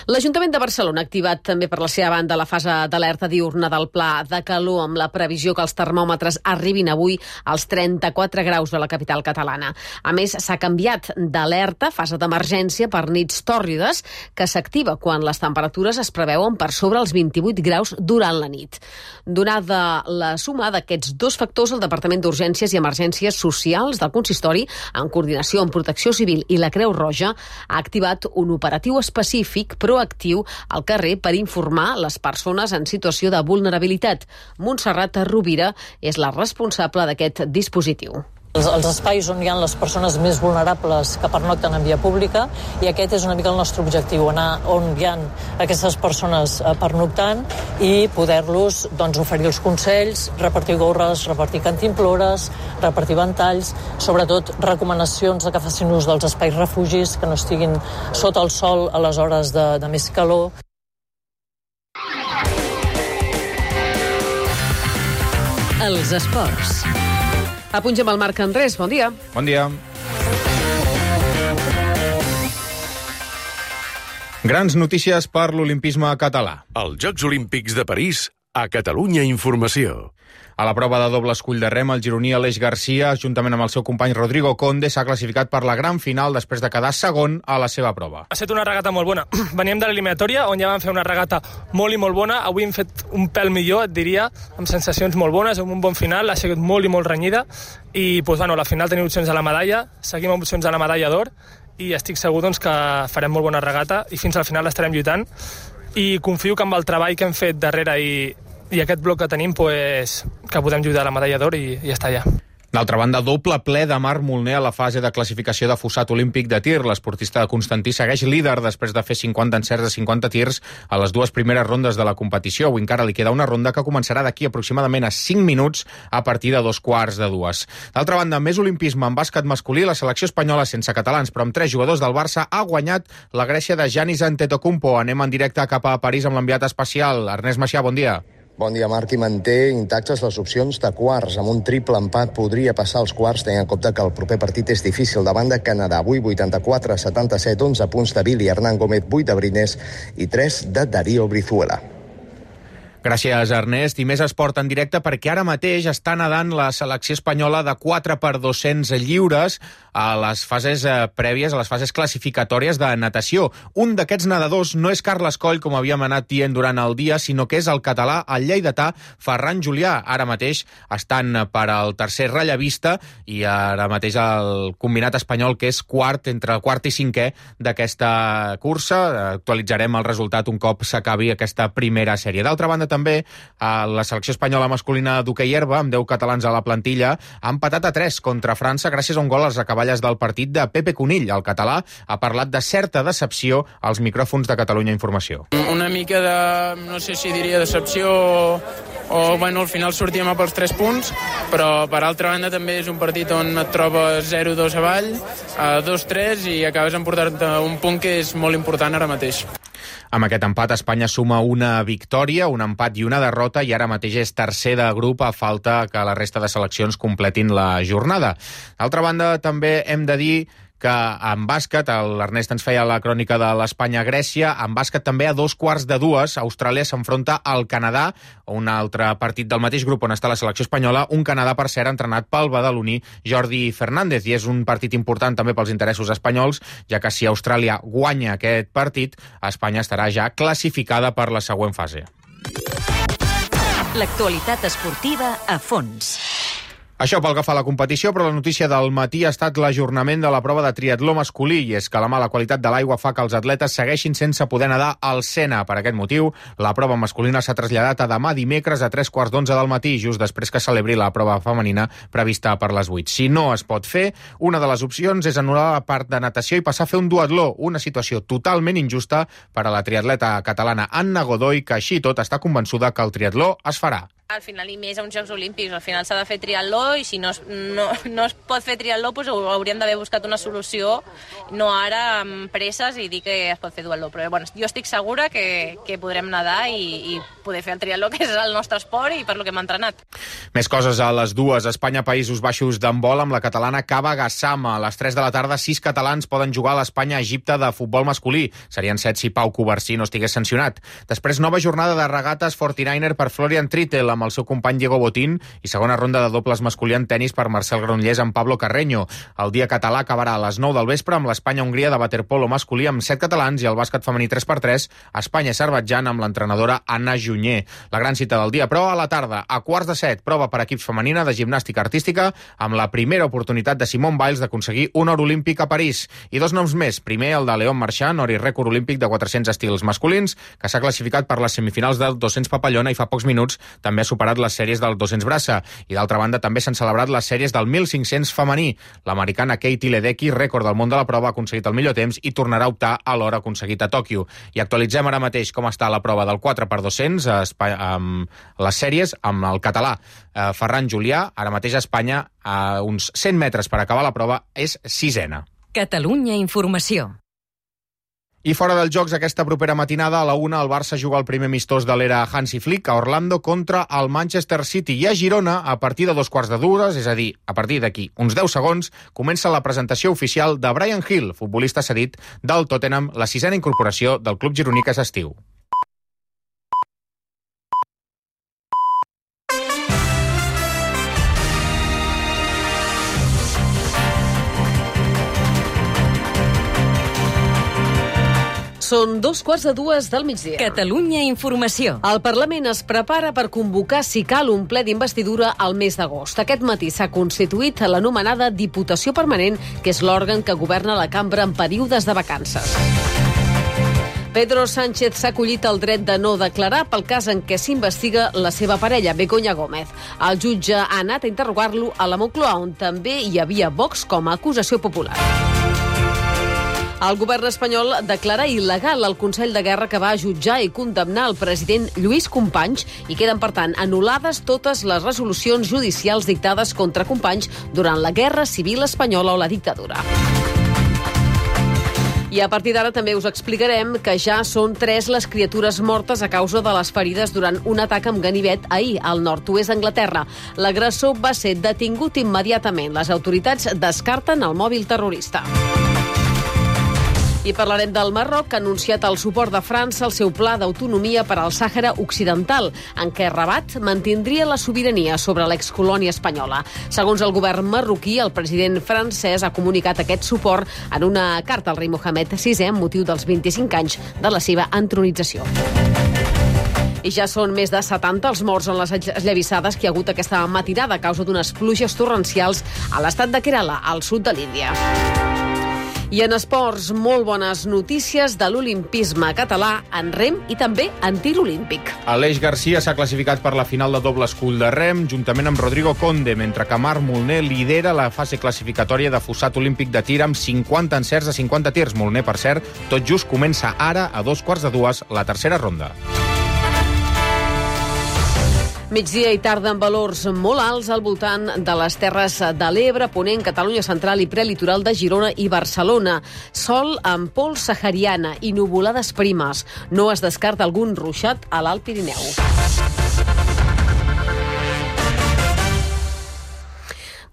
L'Ajuntament de Barcelona ha activat també per la seva banda la fase d'alerta diurna del pla de calor amb la previsió que els termòmetres arribin avui als 34 graus de la capital catalana. A més, s'ha canviat d'alerta, fase d'emergència per nits tòrrides, que s'activa quan les temperatures es preveuen per sobre els 28 graus durant la nit. Donada la suma d'aquests 2 factors, el Departament d'Urgències i Emergències Socials del Consistori, en coordinació amb Protecció Civil i la Creu Roja, ha activat un operatiu específic proactiu al carrer per informar les persones en situació de vulnerabilitat. Montserrat Rovira és la responsable d'aquest dispositiu. Els espais on hi ha les persones més vulnerables que pernocten en via pública, i aquest és una mica el nostre objectiu, anar on hi ha aquestes persones pernoctant i poder-los oferir els consells, repartir gorres, repartir cantimplores, repartir ventalls, sobretot recomanacions de que facin ús dels espais refugis, que no estiguin sota el sol a les hores de més calor. Els esports. Apungem el Marc Andrés, bon dia. Bon dia. Grans notícies per l'olimpisme català. Els Jocs Olímpics de París, a Catalunya Informació. A la prova de doble escull de rem, el gironí Aleix Garcia, juntament amb el seu company Rodrigo Conde, s'ha classificat per la gran final després de quedar segon a la seva prova. Ha estat una regata molt bona. Veníem de l'eliminatòria, on ja vam fer una regata molt i molt bona. Avui hem fet un pèl millor, et diria, amb sensacions molt bones, amb un bon final. Ha sigut molt i molt renyida. I la final tenim opcions a la medalla, seguim amb opcions a la medalla d'or, i estic segur que farem molt bona regata i fins al final estarem lluitant. I confio que amb el treball que hem fet darrere i aquest bloc que tenim, que podem lluitar a la medalla d'or i ja està ja. D'altra banda, doble ple de Marc Molner a la fase de classificació de fossat olímpic de tir. L'esportista de Constantí segueix líder després de fer 50 encerts de 50 tirs a les dues primeres rondes de la competició. Avui encara li queda una ronda que començarà d'aquí aproximadament a 5 minuts a partir de 2:15. D'altra banda, més olimpisme en bàsquet masculí. La selecció espanyola, sense catalans però amb 3 jugadors del Barça, ha guanyat la Grècia de Giannis Antetokounmpo. Anem en directe cap a París amb l'enviat especial. Ernest Macià, bon dia. Bon dia, Marc, i manté intactes les opcions de quarts. Amb un triple empat podria passar als quarts, tenint en compte que el proper partit és difícil davant de Canadà. Avui 84-77, 11 punts de Billy Hernán Gómez, 8 de Brines i 3 de Darío Brizuela. Gràcies, Ernest. I més esport en directe perquè ara mateix està nedant la selecció espanyola de 4x200 lliures a les fases prèvies, a les fases classificatòries de natació. Un d'aquests nedadors no és Carles Coll, com havíem anat dient durant el dia, sinó que és el català, el lleidatà Ferran Julià. Ara mateix estan per al tercer rellevista i ara mateix el combinat espanyol, que és quart, entre quart i cinquè d'aquesta cursa. Actualitzarem el resultat un cop s'acabi aquesta primera sèrie. D'altra banda, també la selecció espanyola masculina d'hoquei herba, amb 10 catalans a la plantilla, ha empatat a 3 contra França gràcies a un gol a les acaballes del partit de Pepe Conill. El català ha parlat de certa decepció als micròfons de Catalunya Informació. Una mica de, no sé si diria decepció o bueno, al final sortíem a pels 3 punts, però per altra banda també és un partit on et trobes 0-2 avall, 2-3 i acabes emportant un punt que és molt important ara mateix. Amb aquest empat, Espanya suma una victòria, un empat i una derrota, i ara mateix és tercer de grup a falta que la resta de seleccions completin la jornada. D'altra banda, també hem de dir que en bàsquet, l'Ernest ens feia la crònica de l'Espanya-Grècia, en bàsquet també a 2:15, Austràlia s'enfronta al Canadà, un altre partit del mateix grup on està la selecció espanyola, un Canadà, per cert, entrenat pel badaloní Jordi Fernández, i és un partit important també pels interessos espanyols, ja que si Austràlia guanya aquest partit, Espanya estarà ja classificada per la següent fase. L'actualitat esportiva a fons. Això pel que fa a la competició, però la notícia del matí ha estat l'ajornament de la prova de triatló masculí, i és que la mala qualitat de l'aigua fa que els atletes segueixin sense poder nedar al Sena. Per aquest motiu, la prova masculina s'ha traslladat a demà dimecres a 3:15 del matí, just després que celebri la prova femenina prevista per les 8. Si no es pot fer, una de les opcions és anul·lar la part de natació i passar a fer un duatló, una situació totalment injusta per a la triatleta catalana Anna Godoy, que així tot està convençuda que el triatló es farà. Al final, i més a uns Jocs Olímpics, al final s'ha de fer triatló, i si no es pot fer triatló, doncs hauríem d'haver buscat una solució, no ara amb presses i dir que es pot fer duatló. Però bueno, jo estic segura que podrem nedar i poder fer el triatló, que és el nostre esport i per lo que hem entrenat. Més coses a les dues. Espanya, Països Baixos d'handbol amb la catalana Kaba Gassama. A les 3 de la tarda, 6 catalans poden jugar a l'Espanya-Egipte de futbol masculí. Serien 7 si Pau Covarsí no estigués sancionat. Després, nova jornada de regates 49er per Florian Trittel amb el seu company Diego Botín, i segona ronda de dobles masculí en tenis per Marcel Granollers amb Pablo Carreño. El dia català acabarà a les 9 del vespre amb l'Espanya-Hongria de waterpolo masculí amb 7 catalans, i el bàsquet femení 3x3 Espanya-Azerbaidjan amb l'entrenadora Anna Junyer. La gran cita del dia, però a la tarda, a 6:15, prova per equips femenina de gimnàstica artística amb la primera oportunitat de Simone Biles d'aconseguir un or olímpic a París. I 2 noms més. Primer, el de León Marchand, or i rècord olímpic de 400 estils masculins, que s'ha classificat per les semifinals del 200 papallona, i fa pocs minuts també ha superat les sèries del 200 braça. I d'altra banda també s'han celebrat les sèries del 1500 femení. L'americana Katie Ledecky, rècord del món de la prova, ha aconseguit el millor temps i tornarà a optar a l'hora aconseguit a Tòquio. I actualitzem ara mateix com està la prova del 4x200 amb les sèries, amb el català Ferran Julià, ara mateix a Espanya, a uns 100 metres per acabar la prova, és sisena. Catalunya Informació. I fora dels jocs, aquesta propera matinada, a la 1, el Barça juga el primer amistós de l'era Hansi Flick a Orlando contra el Manchester City. I a Girona, a partir de 2:15, és a dir, a partir d'aquí uns 10 segons, comença la presentació oficial de Bryan Gil, futbolista cedit del Tottenham, la 6a incorporació del club gironí aquest estiu. Són 2:15 del migdia. Catalunya Informació. El Parlament es prepara per convocar, si cal, un ple d'investidura al mes d'agost. Aquest matí s'ha constituït l'anomenada Diputació Permanent, que és l'òrgan que governa la cambra en períodes de vacances. Pedro Sánchez s'ha acollit el dret de no declarar pel cas en què s'investiga la seva parella, Begoña Gómez. El jutge ha anat a interrogar-lo a la Moncloa, on també hi havia Vox com a acusació popular. El govern espanyol declara il·legal el Consell de Guerra que va jutjar i condemnar el president Lluís Companys i queden, per tant, anul·lades totes les resolucions judicials dictades contra Companys durant la Guerra Civil Espanyola o la dictadura. I a partir d'ara també us explicarem que ja són 3 les criatures mortes a causa de les ferides durant un atac amb ganivet ahir al nord-oest d'Anglaterra. L'agressor va ser detingut immediatament. Les autoritats descarten el mòbil terrorista. I parlarem del Marroc, que ha anunciat el suport de França al seu pla d'autonomia per al Sàhara Occidental, en què Rabat mantindria la sobirania sobre l'excolònia espanyola. Segons el govern marroquí, el president francès ha comunicat aquest suport en una carta al rei Mohamed VI amb motiu dels 25 anys de la seva entronització. I ja són més de 70 els morts en les esllavissades que hi ha hagut aquesta matinada a causa d'unes pluges torrencials a l'estat de Kerala, al sud de l'Índia. I en esports, molt bones notícies de l'olimpisme català en rem i també en tir olímpic. Aleix Garcia s'ha classificat per la final de doble escull de rem juntament amb Rodrigo Conde, mentre que Marc Molner lidera la fase classificatòria de fossat olímpic de tir amb 50 encerts a 50 tirs. Molner, per cert, tot just comença ara a 2:15 la tercera ronda. Migdia i tarda amb valors molt alts al voltant de les Terres de l'Ebre, Ponent, Catalunya Central i prelitoral de Girona i Barcelona. Sol amb pols sahariana i nuvolades primes. No es descarta algun ruixat a l'Alt Pirineu.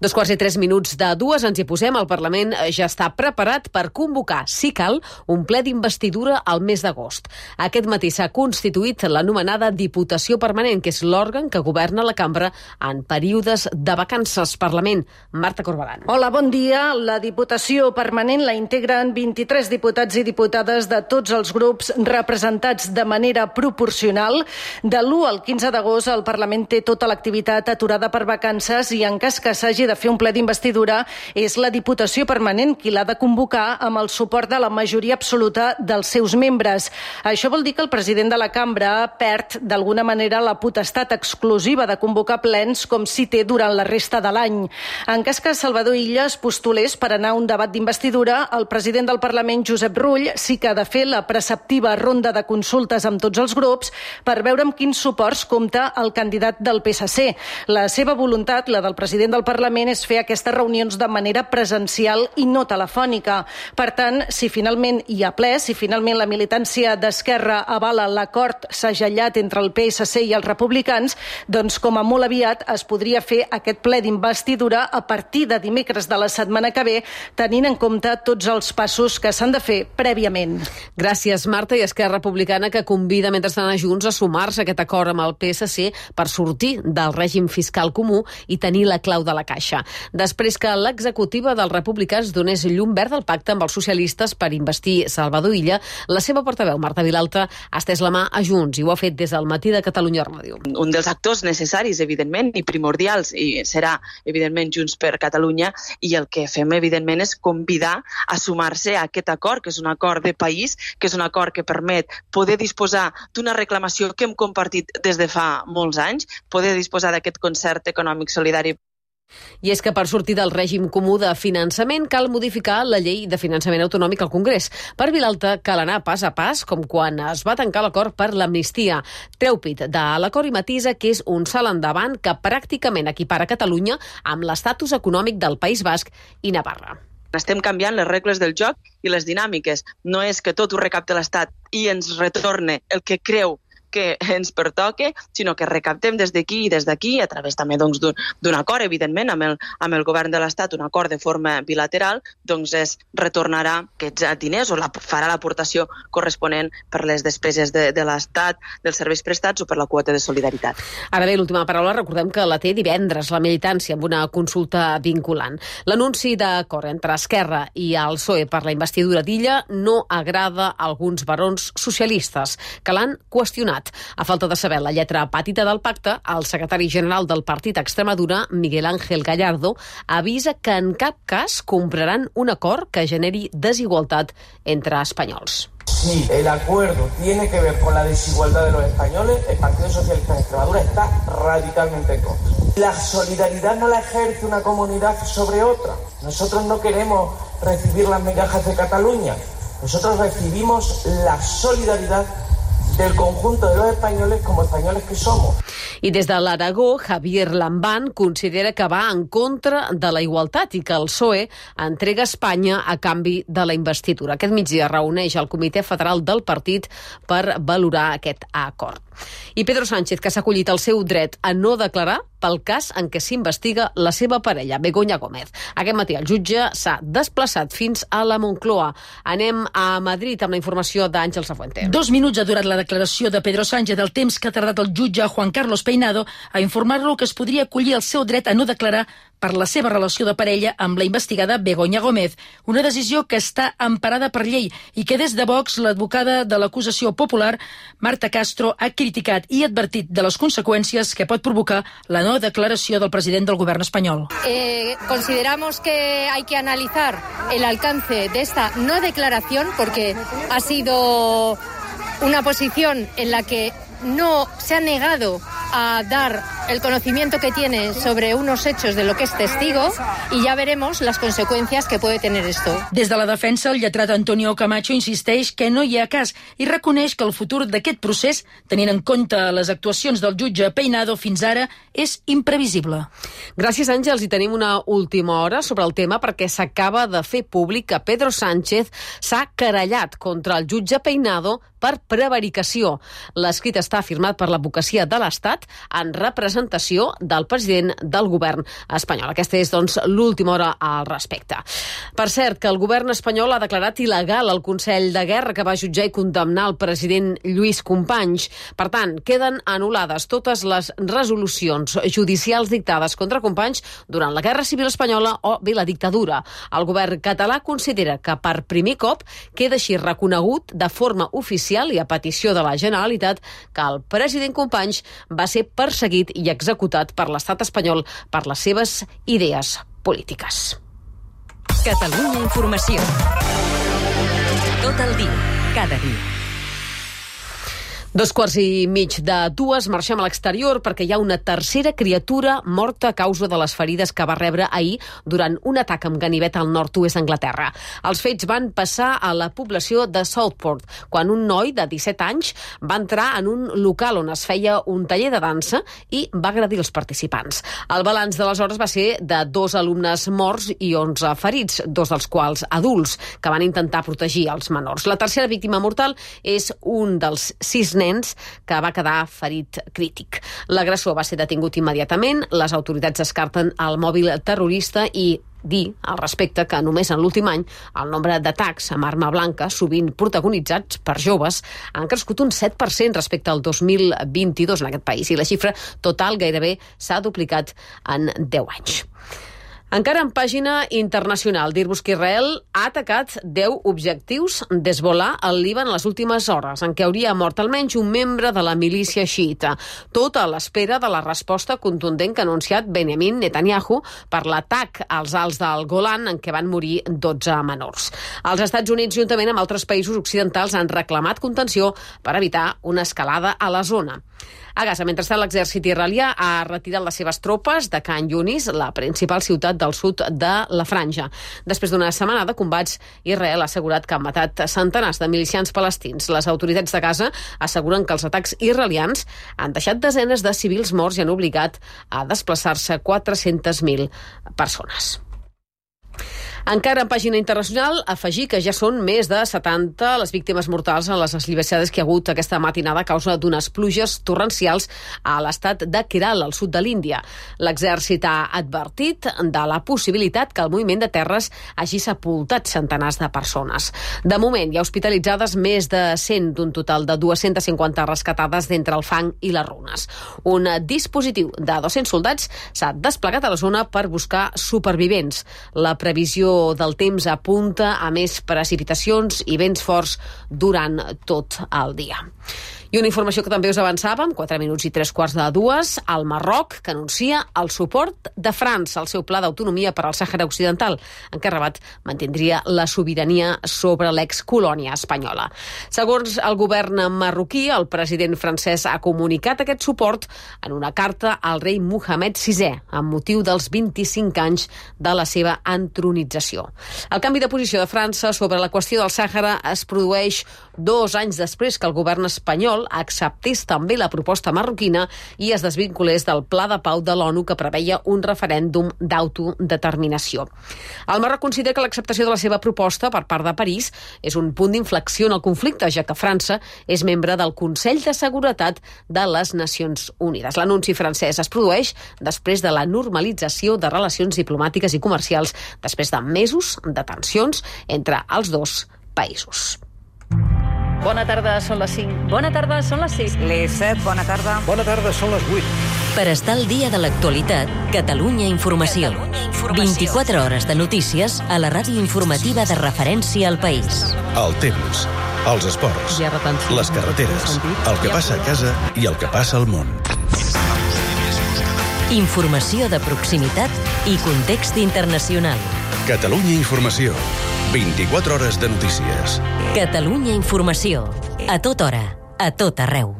Dos quarts i 3 minuts de 2 ens hi posem. El Parlament ja està preparat per convocar, si cal, un ple d'investidura al mes d'agost. Aquest matí s'ha constituït l'anomenada Diputació Permanent, que és l'òrgan que governa la cambra en períodes de vacances. Parlament. Marta Corbalán. Hola, bon dia. La Diputació Permanent la integren 23 diputats i diputades de tots els grups representats de manera proporcional. De l'1 al 15 d'agost el Parlament té tota l'activitat aturada per vacances i en cas que s'hagi de fer un ple d'investidura és la Diputació Permanent qui l'ha de convocar amb el suport de la majoria absoluta dels seus membres. Això vol dir que el president de la cambra perd d'alguna manera la potestat exclusiva de convocar plens com si té durant la resta de l'any. En cas que Salvador Illa es postulés per anar a un debat d'investidura, el president del Parlament, Josep Rull, sí que ha de fer la preceptiva ronda de consultes amb tots els grups per veure amb quins suports compta el candidat del PSC. La seva voluntat, la del president del Parlament, és fer aquestes reunions de manera presencial i no telefònica. Per tant, si finalment hi ha ple, si finalment la militància d'Esquerra avala l'acord segellat entre el PSC i els republicans, doncs com a molt aviat es podria fer aquest ple d'investidura a partir de dimecres de la setmana que ve, tenint en compte tots els passos que s'han de fer prèviament. Gràcies, Marta. I Esquerra Republicana, que convida mentrestant a Junts a sumar-se a aquest acord amb el PSC per sortir del règim fiscal comú i tenir la clau de la caixa. desaparèixer. Després que l'executiva dels republicans donés llum verd al pacte amb els socialistes per investir Salvador Illa, la seva portaveu, Marta Vilalta, ha estès la mà a Junts i ho ha fet des del matí de Catalunya Ràdio. Un dels actors necessaris, evidentment, i primordials, i serà, evidentment, Junts per Catalunya, i el que fem, evidentment, és convidar a sumar-se a aquest acord, que és un acord de país, que és un acord que permet poder disposar d'una reclamació que hem compartit des de fa molts anys, poder disposar d'aquest concert econòmic solidari. I és que per sortir del règim comú de finançament cal modificar la llei de finançament autonòmic al Congrés. Per Vilalta cal anar pas a pas, com quan es va tancar l'acord per l'amnistia. Treu pit de l'acord i matisa que és un salt endavant que pràcticament equipara Catalunya amb l'estatus econòmic del País Basc i Navarra. Estem canviant les regles del joc i les dinàmiques. No és que tot ho recapte l'Estat i ens retorne el que creu que ens pertoque, sinó que recaptem des d'aquí i des d'aquí, a través també d'un acord, evidentment, amb el govern de l'Estat, un acord de forma bilateral, doncs retornarà aquests diners o farà l'aportació corresponent per les despeses de l'Estat, dels serveis prestats o per la quota de solidaritat. Ara bé, l'última paraula, recordem que la té divendres la militància amb una consulta vinculant. L'anunci d'acord entre Esquerra i el PSOE per la investidura d'Illa no agrada a alguns barons socialistes que l'han qüestionat. A falta de saber la lletra petita del pacte, el secretari general del partit a Extremadura, Miguel Ángel Gallardo, avisa que en cap cas compraran un acord que generi desigualtat entre espanyols. Si el acuerdo tiene que ver con la desigualdad de los españoles, el Partido Socialista de Extremadura está radicalmente en contra. La solidaridad no la ejerce una comunidad sobre otra. Nosotros no queremos recibir las migajas de Cataluña. Nosotros recibimos la solidaridad del conjunto de los españoles como españoles que somos. I des de l'Aragó, Javier Lambán considera que va en contra de la igualtat i que el PSOE entrega Espanya a canvi de la investidura. Aquest migdia reuneix el Comitè Federal del partit per valorar aquest acord. I Pedro Sánchez, que s'ha acollit el seu dret a no declarar pel cas en què s'investiga la seva parella, Begoña Gómez. Aquest matí el jutge s'ha desplaçat fins a la Moncloa. Anem a Madrid amb la informació d'Àngel Safuente. 2 minuts ha durat la declaració de Pedro Sánchez, el temps que ha tardat el jutge Juan Carlos Peinado a informar-lo que es podria acollir el seu dret a no declarar per la seva relació de parella amb la investigada Begoña Gómez, una decisió que està emparada per llei i que des de Vox l'advocada de l'acusació popular, Marta Castro, ha criticat i advertit de les conseqüències que pot provocar la no declaració del president del govern espanyol. Consideramos que hay que analizar el alcance de esta no declaración porque ha sido una posición en la que no se ha negado a dar el conocimiento que tiene sobre unos hechos de lo que es testigo y ya veremos las consecuencias que puede tener esto. Des de la defensa, el lletrat Antonio Camacho insisteix que no hi ha cas i reconeix que el futur d'aquest procés, tenint en compte les actuacions del jutge Peinado fins ara, és imprevisible. Gràcies, Àngels. I tenim una última hora sobre el tema perquè s'acaba de fer públic que Pedro Sánchez s'ha querellat contra el jutge Peinado per prevaricació. L'escrit està firmat per l'advocacia de l'Estat en representació del president del govern espanyol. Aquesta és, doncs, l'última hora al respecte. Per cert, que el govern espanyol ha declarat il·legal el Consell de Guerra que va jutjar i condemnar el president Lluís Companys. Per tant, queden anul·lades totes les resolucions judicials dictades contra Companys durant la Guerra Civil Espanyola o bé la dictadura. El govern català considera que per primer cop queda així reconegut de forma oficial i a petició de la Generalitat que el president Companys va ser perseguit i executat per l'estat espanyol per les seves idees polítiques. Catalunya Informació. Tot el dia, cada dia. 2:15 marxem a l'exterior perquè hi ha una tercera criatura morta a causa de les ferides que va rebre ahir durant un atac amb ganivet al nord-oest d'Anglaterra. Els fets van passar a la població de Southport, quan un noi de 17 anys va entrar en un local on es feia un taller de dansa i va agredir els participants. El balanç d'aleshores va ser de 2 alumnes morts i 11 ferits, 2 dels quals adults, que van intentar protegir els menors. La tercera víctima mortal és un dels 6 nens que va quedar ferit crític. L'agressor va ser detingut immediatament, les autoritats descarten el mòbil terrorista i dir al respecte que només en l'últim any el nombre d'atacs amb arma blanca, sovint protagonitzats per joves, han crescut un 7% respecte al 2022 en aquest país i la xifra total gairebé s'ha duplicat en 10 anys. Encara en pàgina internacional, dir-vos que Israel ha atacat 10 objectius d'Hezbollah al Líban en les últimes hores, en què hauria mort almenys un membre de la milícia xiita, tot a l'espera de la resposta contundent que ha anunciat Benjamin Netanyahu per l'atac als Alts del Golan, en què van morir 12 menors. Els Estats Units, juntament amb altres països occidentals, han reclamat contenció per evitar una escalada a la zona. A Gaza, mentrestant, l'exèrcit israelià ha retirat les seves tropes de Khan Yunis, la principal ciutat del sud de la Franja. Després d'una setmana de combats, Israel ha assegurat que han matat centenars de milicians palestins. Les autoritats de Gaza asseguren que els atacs israelians han deixat desenes de civils morts i han obligat a desplaçar-se 400.000 persones. Encara en pàgina internacional, afegir que ja són més de 70 les víctimes mortals en les eslivassades que hi ha hagut aquesta matinada a causa d'unes pluges torrencials a l'estat de Kerala, al sud de l'Índia. L'exèrcit ha advertit de la possibilitat que el moviment de terres hagi sepultat centenars de persones. De moment, hi ha hospitalitzades més de 100 d'un total de 250 rescatades d'entre el fang i les runes. Un dispositiu de 200 soldats s'ha desplegat a la zona per buscar supervivents. La previsió del temps apunta a més precipitacions i vents forts durant tot el dia. I una informació que també us avançàvem, 4 minuts i 3:15, el Marroc, que anuncia el suport de França al seu pla d'autonomia per al Sàhara Occidental, en què Rabat mantindria la sobirania sobre l'excolònia espanyola. Segons el govern marroquí, el president francès ha comunicat aquest suport en una carta al rei Mohamed VI, amb motiu dels 25 anys de la seva entronització. El canvi de posició de França sobre la qüestió del Sàhara es produeix 2 anys després que el govern espanyol acceptés també la proposta marroquina i es desvinculés del pla de pau de l'ONU que preveia un referèndum d'autodeterminació. El Marroc considera que l'acceptació de la seva proposta per part de París és un punt d'inflexió en el conflicte, ja que França és membre del Consell de Seguretat de les Nacions Unides. L'anunci francès es produeix després de la normalització de relacions diplomàtiques i comercials després de mesos de tensions entre els dos països. Bona tarda, són les 5. Bona tarda, són les 6. Les 7, bona tarda. Bona tarda, són les 8. Per estar al dia de l'actualitat, Catalunya Informació. 24 hores de notícies a la ràdio informativa de referència al país. El temps, els esports, les carreteres, el que passa a casa i el que passa al món. Informació de proximitat i context internacional. Catalunya Informació. 24 hores de notícies. Catalunya Informació. A tota hora, a tot arreu.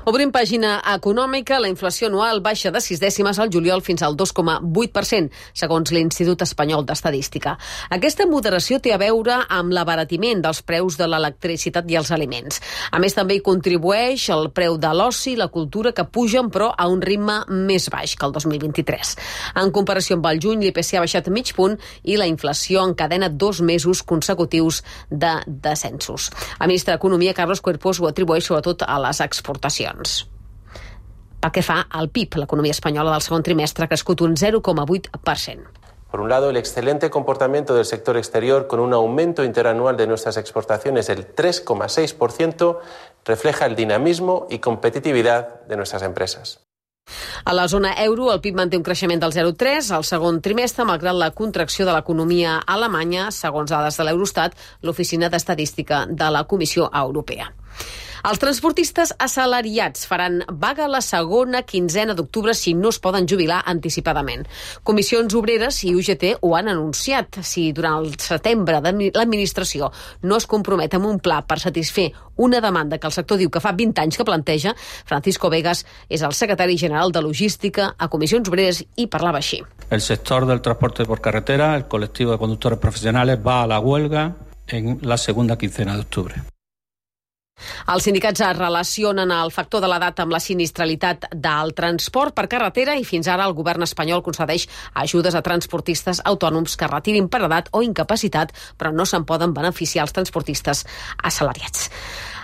Obrim pàgina econòmica. La inflació anual baixa de 6 dècimes al juliol fins al 2,8%, segons l'Institut Espanyol d'Estadística. Aquesta moderació té a veure amb l'abaratiment dels preus de l'electricitat i els aliments. A més, també hi contribueix el preu de l'oci i la cultura, que pugen, però a un ritme més baix que el 2023. En comparació amb el juny, l'IPC ha baixat mig punt i la inflació encadena 2 mesos consecutius de descensos. El ministre d'Economia, Carlos Cuerpos, ho atribueix sobretot a les exportacions. Pel que fa al PIB, l'economia espanyola del segon trimestre ha crescut un 0,8%. Por un lado, el excelente comportamiento del sector exterior, con un aumento interanual de nuestras exportaciones del 3,6%, refleja el dinamismo y competitividad de nuestras empresas. A la zona euro, el PIB manté un creixement del 0,3 al segon trimestre, malgrat la contracció de l'economia alemanya, segons dades de l'Eurostat, l'Oficina d'Estadística de la Comissió Europea. Els transportistes assalariats faran vaga la segona quinzena d'octubre si no es poden jubilar anticipadament. Comissions Obreres i UGT ho han anunciat. Si durant el setembre l'administració no es compromet amb un pla per satisfer una demanda que el sector diu que fa 20 anys que planteja, Francisco Vegas és el secretari general de Logística a Comissions Obreres i parlava així. El sector del transporte por carretera, el colectivo de conductores profesionales, va a la huelga en la segunda quincena de octubre. Els sindicats relacionen el factor de l'edat amb la sinistralitat del transport per carretera i fins ara el govern espanyol concedeix ajudes a transportistes autònoms que retirin per edat o incapacitat, però no se'n poden beneficiar els transportistes assalariats.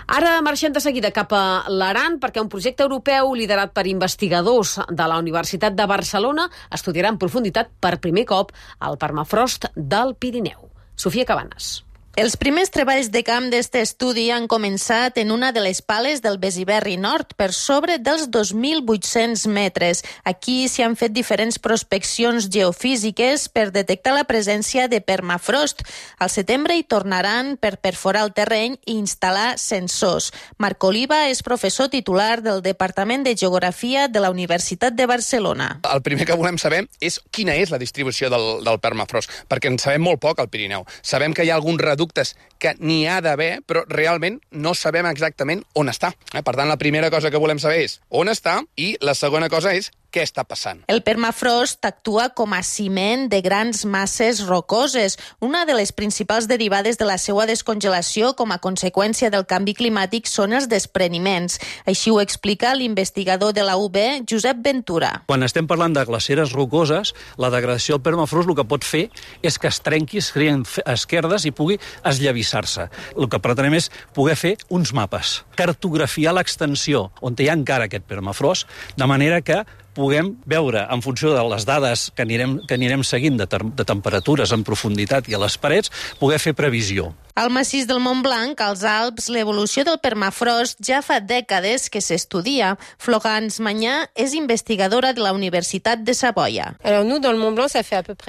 Ara marxem de seguida cap a l'Aran perquè un projecte europeu liderat per investigadors de la Universitat de Barcelona estudiarà en profunditat per primer cop el permafrost del Pirineu. Sofia Cabanes. Els primers treballs de camp d'aquest estudi han començat en una de les pales del Besiberri Nord, per sobre dels 2.800 metres. Aquí s'hi han fet diferents prospeccions geofísiques per detectar la presència de permafrost. Al setembre hi tornaran per perforar el terreny i instal·lar sensors. Marc Oliva és professor titular del Departament de Geografia de la Universitat de Barcelona. El primer que volem saber és quina és la distribució del permafrost, perquè en sabem molt poc al Pirineu. Sabem que hi ha algun reducte que n'hi ha d'haver, però realment no sabem exactament on està. Per tant, la primera cosa que volem saber és on està i la segona cosa és què està passant. El permafrost actua com a ciment de grans masses rocoses, una de les principals derivades de la seva descongelació com a conseqüència del canvi climàtic són els despreniments. Així ho explica l'investigador de la UB, Josep Ventura. Quan estem parlant de glaceres rocoses, la degradació del permafrost el que pot fer és que es trenqui, es creen esquerdes i pugui esllavissar-se. El que pretenem és poder fer uns mapes, cartografiar l'extensió on hi ha encara aquest permafrost, de manera que puguem veure, en funció de les dades que anirem seguint de temperatures en profunditat i a les parets, poder fer previsió. Al massís del Montblanc, als Alps, l'evolució del permafrost ja fa dècades que s'estudia. Florence Mañà és investigadora de la Universitat de Savoia.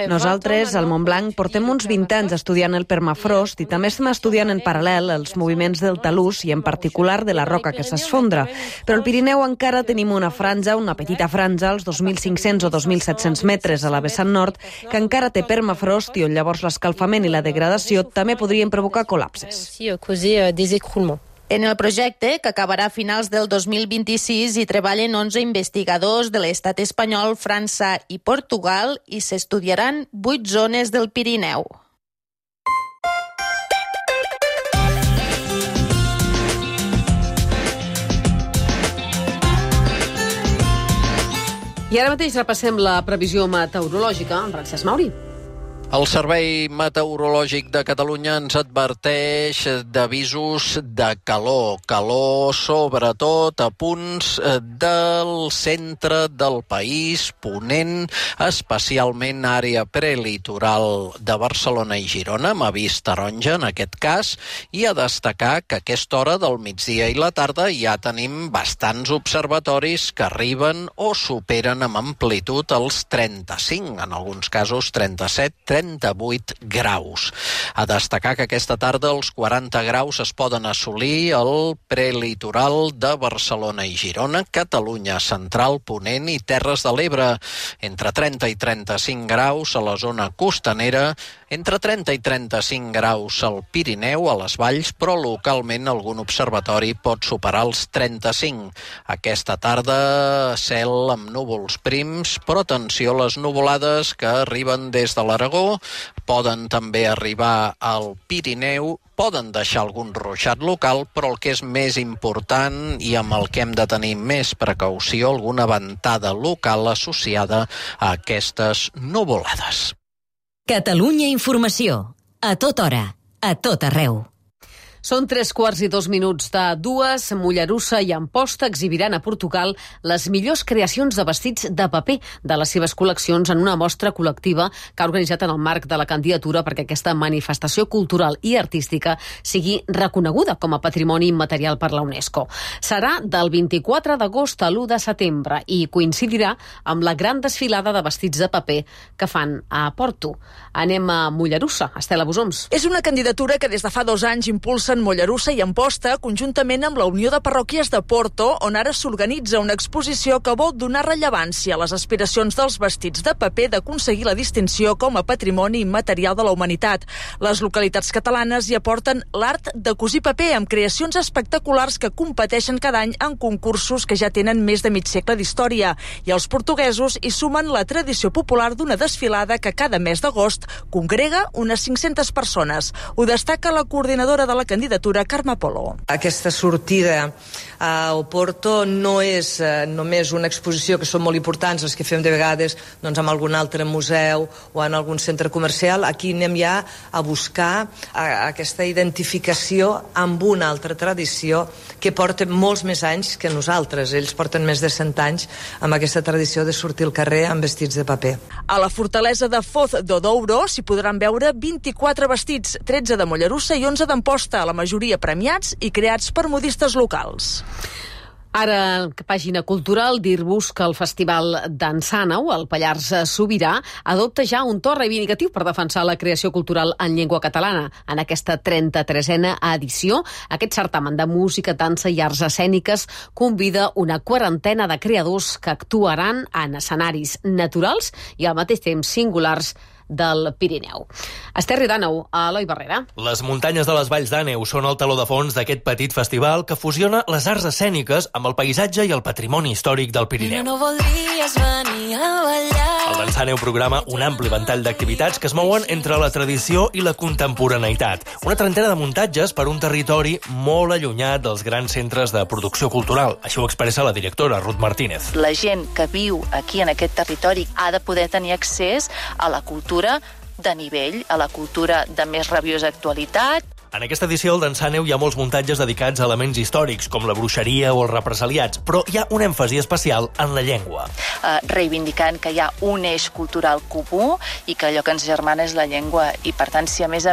Nosaltres, al Montblanc, portem uns 20 anys estudiant el permafrost i també estem estudiant en paral·lel els moviments del talús i en particular de la roca que s'esfondra. Però al Pirineu encara tenim una franja, una petita franja, als 2.500 o 2.700 metres a la vessant nord, que encara té permafrost i on llavors l'escalfament i la degradació també podrien provocar col·lapses. En el projecte, que acabarà a finals del 2026, hi treballen 11 investigadors de l'estat espanyol, França i Portugal i s'estudiaran 8 zones del Pirineu. I ara mateix repassem la previsió meteorològica amb Francesc Mauri. El Servei Meteorològic de Catalunya ens adverteix d'avisos de calor. Calor, sobretot, a punts del centre del país, ponent, especialment àrea prelitoral de Barcelona i Girona, amb avís taronja en aquest cas, i a destacar que a aquesta hora del migdia i la tarda ja tenim bastants observatoris que arriben o superen amb amplitud els 35, en alguns casos 37, 38 graus. A destacar que aquesta tarda els 40 graus es poden assolir al prelitoral de Barcelona i Girona, Catalunya central, Ponent i Terres de l'Ebre. Entre 30 i 35 graus a la zona costanera, entre 30 i 35 graus al Pirineu, a les valls, però localment algun observatori pot superar els 35. Aquesta tarda, cel amb núvols prims, però atenció a les nuvolades que arriben des de l'Aragó, poden també arribar al Pirineu, poden deixar algun ruixat local, però el que és més important i amb el que hem de tenir més precaució, alguna ventada local associada a aquestes nuvolades. Catalunya Informació. A tota hora, a tot arreu. Són 3:02 de Mollerussa i Amposta exhibiran a Portugal les millors creacions de vestits de paper de les seves col·leccions en una mostra col·lectiva que ha organitzat en el marc de la candidatura perquè aquesta manifestació cultural i artística sigui reconeguda com a patrimoni immaterial per la UNESCO. Serà del 24 d'agost a l'1 de setembre i coincidirà amb la gran desfilada de vestits de paper que fan a Porto. Anem a Mollerussa. Estela Bosoms. És una candidatura que des de fa 2 anys impulsa en Mollerussa i Amposta, conjuntament amb la Unió de Parròquies de Porto, on ara s'organitza una exposició que vol donar rellevància a les aspiracions dels vestits de paper d'aconseguir la distinció com a patrimoni immaterial de la humanitat. Les localitats catalanes hi aporten l'art de cosir paper amb creacions espectaculars que competeixen cada any en concursos que ja tenen més de mig segle d'història. I els portuguesos hi sumen la tradició popular d'una desfilada que cada mes d'agost congrega unes 500 persones. Ho destaca la coordinadora de la candidatura, candidatura, Carme Polo. Aquesta sortida a Oporto no és només una exposició, que són molt importants, les que fem de vegades doncs, en algun altre museu o en algun centre comercial. Aquí anem ja a buscar aquesta identificació amb una altra tradició que porta molts més anys que nosaltres. Ells porten més de 100 anys amb aquesta tradició de sortir al carrer amb vestits de paper. A la fortalesa de Foz do Douro s'hi podran veure 24 vestits, 13 de Mollerussa i 11 d'Amposta, la majoria premiats i creats per modistes locals. Ara, pàgina cultural, dir-vos que el Festival d'Ensàneu, al Pallars Sobirà, adopta ja un to reivindicatiu per defensar la creació cultural en llengua catalana. En aquesta 33a edició, aquest certamen de música, dansa i arts escèniques convida una quarantena de creadors que actuaran en escenaris naturals i al mateix temps singulars del Pirineu. Esterri d'Àneu, a Eloi Barrera. Les muntanyes de les Valls d'Àneu són el teló de fons d'aquest petit festival que fusiona les arts escèniques amb el paisatge i el patrimoni històric del Pirineu. El d'Ensàneu programa un ampli ventall d'activitats que es mouen entre la tradició i la contemporaneïtat. Una trentena de muntatges per un territori molt allunyat dels grans centres de producció cultural. Això ho expressa la directora, Ruth Martínez. La gent que viu aquí en aquest territori ha de poder tenir accés a la cultura de nivell, a la cultura de més rabiosa actualitat. En aquesta edició del d'Ensàneu hi ha molts muntatges dedicats a elements històrics, com la bruixeria o els represaliats, però hi ha un èmfasi especial en la llengua. Reivindicant que hi ha un eix cultural comú i que allò que ens germana és la llengua. I, per tant, si a més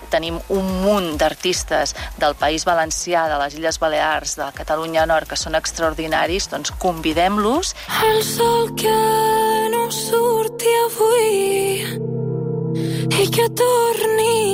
tenim un munt d'artistes del País Valencià, de les Illes Balears, de Catalunya Nord, que són extraordinaris, doncs convidem-los. El sol que no surti avui i que tornin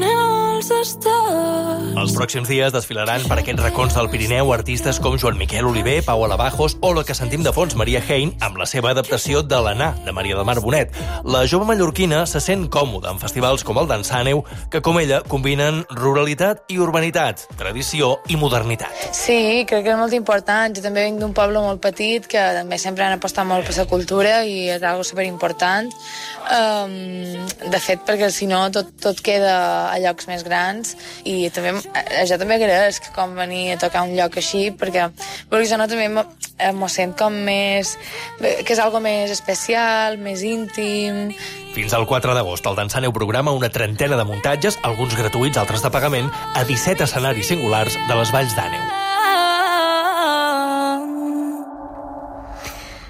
els estats. Els pròxims dies desfilaran per aquests racons del Pirineu artistes com Joan Miquel Oliver, Pau Alabajos o la que sentim de fons, Maria Hein, amb la seva adaptació de l'Anà, de Maria del Mar Bonet. La jove mallorquina se sent còmoda en festivals com el d'Ensàneu, que com ella combinen ruralitat i urbanitat, tradició i modernitat. Sí, crec que és molt important. Jo també vinc d'un poble molt petit que també sempre han apostat molt per la cultura i és algo superimportant. De fet, perquè si no tot queda a llocs més grans i també jo també agraeix com venir a tocar un lloc així perquè jo no també m'ho sent com més que és algo més especial, més íntim. Fins al 4 d'agost el d'Ensàneu programa una trentena de muntatges, alguns gratuïts, altres de pagament, a 17 escenaris singulars de les Valls d'Àneu.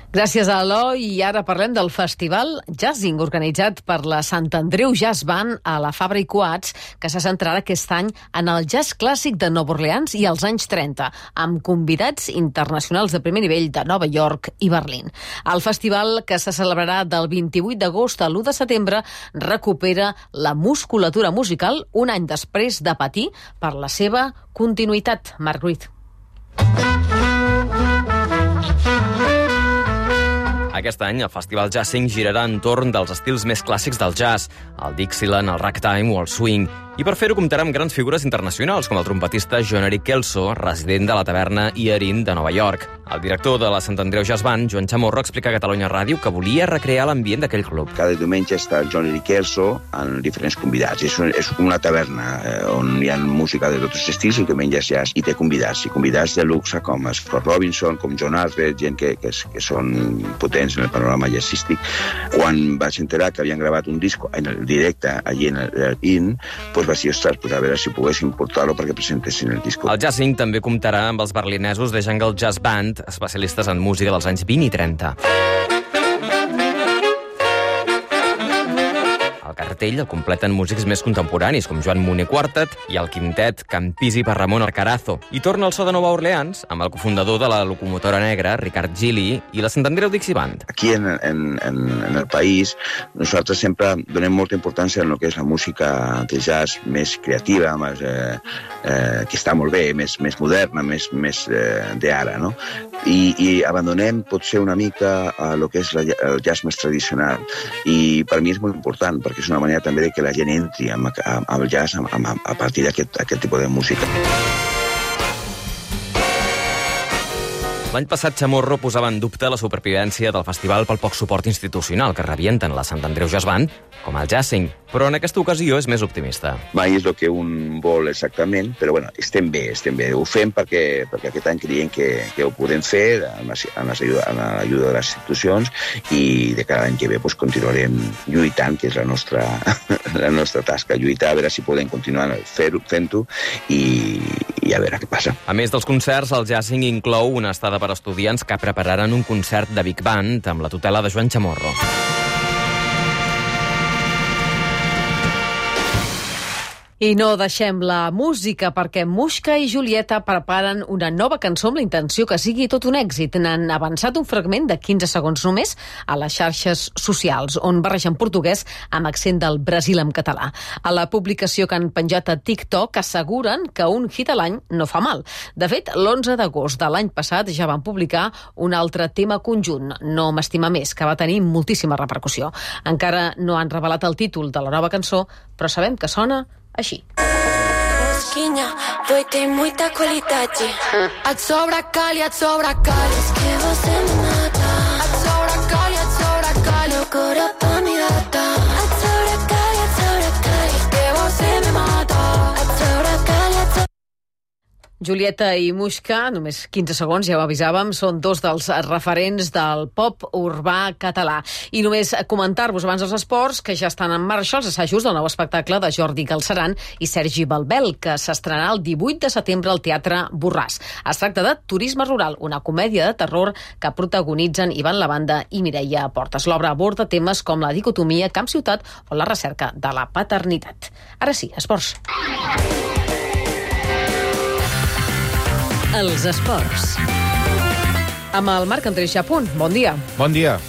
Gràcies a Eloi. I ara parlem del Festival Jazzing, organitzat per la Sant Andreu Jazz Band a la Fabra i Coats, que se centrarà aquest any en el jazz clàssic de Nova Orleans i els anys 30, amb convidats internacionals de primer nivell de Nova York i Berlín. El festival, que se celebrarà del 28 d'agost a l'1 de setembre, recupera la musculatura musical un any després de patir per la seva continuïtat. Marc Ruiz. Aquest any, el Festival Jazzing girarà entorn dels estils més clàssics del jazz, el Dixieland, el ragtime o el swing. I per fer-ho comptarà amb grans figures internacionals, com el trompetista John-Eric Kelso, resident de la taverna Ierin de Nova York. El director de la Sant Andreu Jazz Band, Joan Chamorro, explica a Catalunya Ràdio que volia recrear l'ambient d'aquell club. Cada diumenge està el John-Eric Kelso amb diferents convidats. És com una taverna on hi ha música de tots els estils i diumenges jazz. I té convidats, i convidats de luxe com Scott Robinson, com John Arthur, gent que són potents en el panorama jazzístic. Quan vaig enterar que havien gravat un disco en el directe allí en l'In, doncs vaig dir, ostres, a veure si poguéssim portar-lo perquè presentessin el disco. El Jazzing també comptarà amb els berlinesos de Jungle Jazz Band, especialistes en música dels anys 20 i 30. El cartell el completen músics més contemporanis, com Joan Moner Quartet i el quintet Campisi per Ramon Arcarazo. I torna el so de Nova Orleans amb el cofundador de la locomotora negra, Ricard Gili, i la Sant Andreu Dixie Band. Aquí en el país nosaltres sempre donem molta importància en el que és la música de jazz més creativa, que està molt bé, més moderna, més d'ara, no? I abandonem potser una mica el que és el jazz més tradicional. I per mi és molt important, perquè és una manera també de que la gent entri amb el jazz a partir d'aquest tipus de música. L'any passat Chamorro posava en dubte la supervivència del festival pel poc suport institucional que rebien tant la Sant Andreu Jazz Band com el Jazzing, però en aquesta ocasió és més optimista. Mai és el que un vol exactament, però bueno, estem bé. Ho fem perquè aquest any creiem que ho podem fer amb l'ajuda de les institucions i de cada any que ve continuarem lluitant, que és la nostra tasca, lluitar, a veure si podem continuar fent-ho i a veure què passa. A més dels concerts, el Jazzing inclou una estada per estudiants que prepararan un concert de Big Band amb la tutela de Joan Chamorro. I no deixem la música perquè Muixca i Julieta preparen una nova cançó amb la intenció que sigui tot un èxit. N'han avançat un fragment de 15 segons només a les xarxes socials, on barregen portuguès amb accent del Brasil en català. A la publicació que han penjat a TikTok asseguren que un hit a l'any no fa mal. De fet, l'11 d'agost de l'any passat ja van publicar un altre tema conjunt, No m'estima més, que va tenir moltíssima repercussió. Encara no han revelat el títol de la nova cançó, però sabem que sona així. Mosquinha, voi tem muita qualidade. Et sobra cali, és que você me mata. Et sobra cali, meu cor pa mi gata. Et sobra cali, és que você me mata. Et sobra cali, Julieta i Muixca, només 15 segons, ja ho avisàvem, són dos dels referents del pop urbà català. I només comentar-vos abans dels esports que ja estan en marxa els assajos del nou espectacle de Jordi Galceran i Sergi Balbel, que s'estrenarà el 18 de setembre al Teatre Borràs. Es tracta de Turisme Rural, una comèdia de terror que protagonitzen Ivan Lavanda i Mireia Portes. L'obra aborda temes com la dicotomia camp-ciutat o la recerca de la paternitat. Ara sí, esports. Els esports. Amb el Marc Andrés Japun. Bon dia. Bon dia.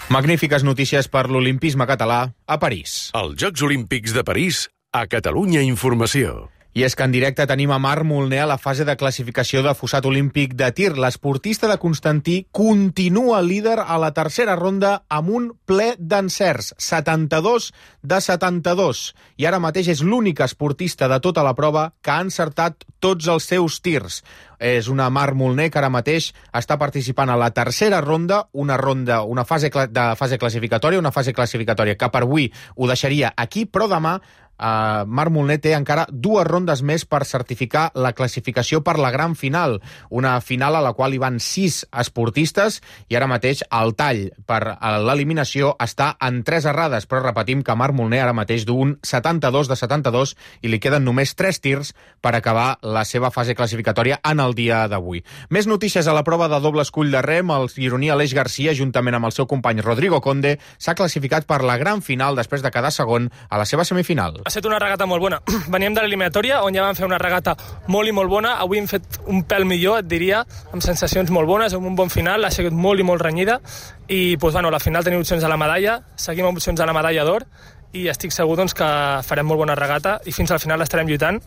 Magnífiques notícies per l'olimpisme català a París. Els Jocs Olímpics de París a Catalunya Informació. I és que en directe tenim a Marc Molner a la fase de classificació de fossat olímpic de tir. L'esportista de Constantí continua líder a la tercera ronda amb un ple d'encerts, 72 de 72. I ara mateix és l'únic esportista de tota la prova que ha encertat tots els seus tirs. És una Marc Molner que ara mateix està participant a la tercera ronda, una fase classificatòria, que per avui ho deixaria aquí, però demà Marc Molner té encara 2 rondes més per certificar la classificació per la gran final, una final a la qual hi van 6 esportistes i ara mateix el tall per l'eliminació està en 3 errades, però repetim que Marc Molner ara mateix d'un 72 de 72 i li queden només 3 tirs per acabar la seva fase classificatòria en el dia d'avui. Més notícies a la prova de doble escull de rem. El gironí Aleix Garcia, juntament amb el seu company Rodrigo Conde, s'ha classificat per la gran final després de quedar segon a la seva semifinal. Ha estat una regata molt bona. Veníem de l'eliminatòria, on ja vam fer una regata molt i molt bona. Avui hem fet un pèl millor, et diria, amb sensacions molt bones, amb un bon final. Ha sigut molt i molt renyida. I doncs, bueno, a la final tenim opcions a la medalla, seguim amb opcions a la medalla d'or, i estic segur doncs, que farem molt bona regata i fins al final estarem lluitant.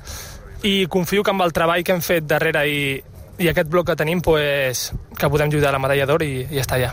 I confio que amb el treball que hem fet darrere i aquest bloc que tenim, pues, que podem lluitar a la medalla d'or i ja està ja.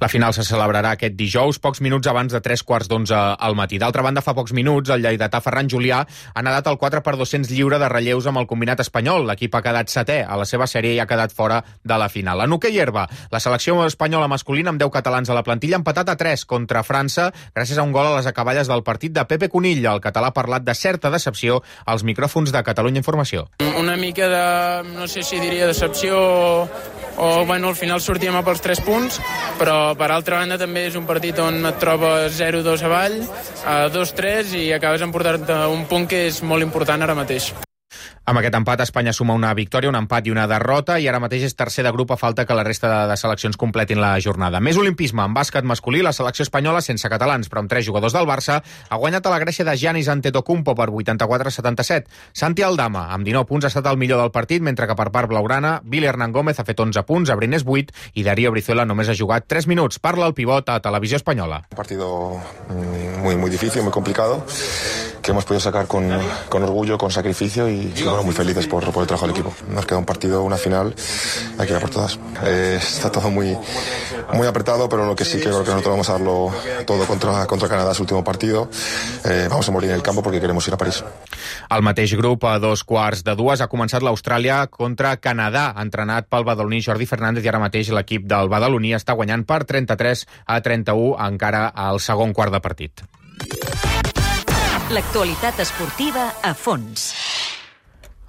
La final se celebrarà aquest dijous, pocs minuts abans de 3:45 al matí. D'altra banda, fa pocs minuts, el lleidatà Ferran Julià ha nedat el 4x200 lliure de relleus amb el combinat espanyol. L'equip ha quedat 7è a la seva sèrie i ha quedat fora de la final. En hoquei herba, la selecció espanyola masculina amb 10 catalans a la plantilla ha empatat a 3 contra França gràcies a un gol a les acaballes del partit de Pepe Conill. El català ha parlat de certa decepció als micròfons de Catalunya Informació. Una mica de, no sé si diria decepció o bueno, al final sortíem a pels 3 punts, però per altra banda també és un partit on et trobes 0-2 avall, 2-3 i acabes emportant un punt que és molt important ara mateix. Amb aquest empat, Espanya suma una victòria, un empat i una derrota, i ara mateix és tercer de grup a falta que la resta de seleccions completin la jornada. Més olimpisme. En bàsquet masculí, la selecció espanyola, sense catalans, però amb 3 jugadors del Barça, ha guanyat a la Grècia de Giannis Antetokounmpo per 84-77. Santi Aldama, amb 19 punts, ha estat el millor del partit, mentre que per part blaugrana, Billy Hernán Gómez ha fet 11 punts, Abrines 8 i Darío Brizuela només ha jugat 3 minuts. Parla el pivot a Televisió Espanyola. Un partido muy difícil, muy complicado. hemos podido sacar con orgullo, con sacrificio y bueno, muy felices por el trabajo del equipo. Nos queda un partido, una final, hay que ir a por todas. Está todo muy apretado, pero lo que sí que creo que nosotros vamos a darlo todo contra Canadá, su último partido. Vamos a morir en el campo porque queremos ir a París. Al mateix grup, a 2:15, ha començat l'Austràlia contra Canadà, entrenat pel badaloní Jordi Fernández, i ara mateix l'equip del badaloní està guanyant per 33-31 encara al segon quart de partit. L'actualitat esportiva a fons.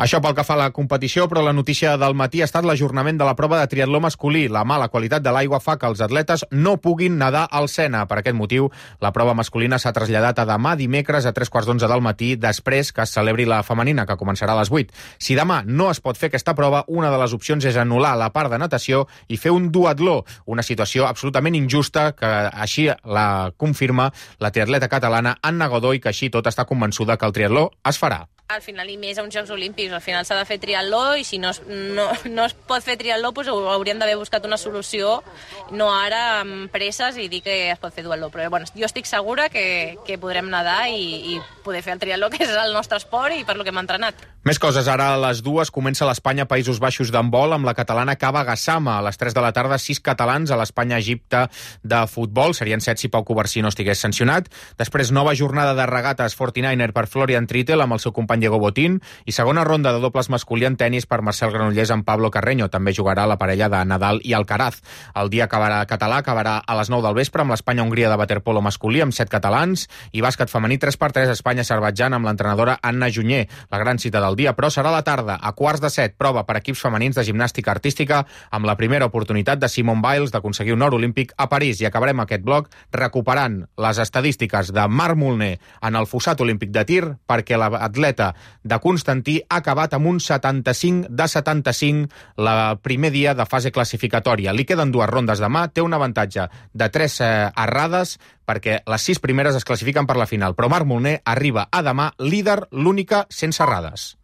Això pel que fa a la competició, però la notícia del matí ha estat l'ajornament de la prova de triatló masculí. La mala qualitat de l'aigua fa que els atletes no puguin nedar al Sena. Per aquest motiu, la prova masculina s'ha traslladat a demà dimecres a 3:15 del matí, després que es celebri la femenina, que començarà a les 8. Si demà no es pot fer aquesta prova, una de les opcions és anul·lar la part de natació i fer un duatló, una situació absolutament injusta que així la confirma la triatleta catalana Anna Godoy, que així tot està convençuda que el triatló es farà. Al final, i més a uns Jocs Olímpics, al final s'ha de fer triatló i si no es pot fer triatló, doncs hauríem d'haver buscat una solució, no ara amb presses i dir que es pot fer duatló. Però bueno, jo estic segura que podrem nedar i poder fer el triatló, que és el nostre esport i per lo que hem entrenat. Més coses. Ara a les 2 comença l'Espanya-Països Baixos d'handbol amb la catalana Cava Gassama. A les 3 de la tarda, 6 catalans a l'Espanya-Egipte de futbol. Serien 7 si Pau Covarsí no estigués sancionat. Després, nova jornada de regates 49er per Florian Trittel amb el seu company Diego Botín i segona ronda de dobles masculí en tenis per Marcel Granollers amb Pablo Carreño. També jugarà la parella de Nadal i Alcaraz. El dia català acabarà a les 9 del vespre amb l'Espanya-Hongria de waterpolo masculí amb 7 catalans i bàsquet femení 3x3 Espanya-Azerbaidjan amb l'entrenadora Anna Junyer. La gran cita del dia, però serà a la tarda, a 6:15, prova per equips femenins de gimnàstica artística amb la primera oportunitat de Simone Biles d'aconseguir un or olímpic a París. I acabarem aquest bloc recuperant les estadístiques de Marc Molner en el fossat olímpic de tir, perquè l'atleta de Constantí ha acabat amb un 75 de 75 el primer dia de fase classificatòria. Li queden 2 rondes demà, té un avantatge de 3 errades perquè les 6 primeres es classifiquen per la final, però Marc Molner arriba a demà líder, l'única sense errades.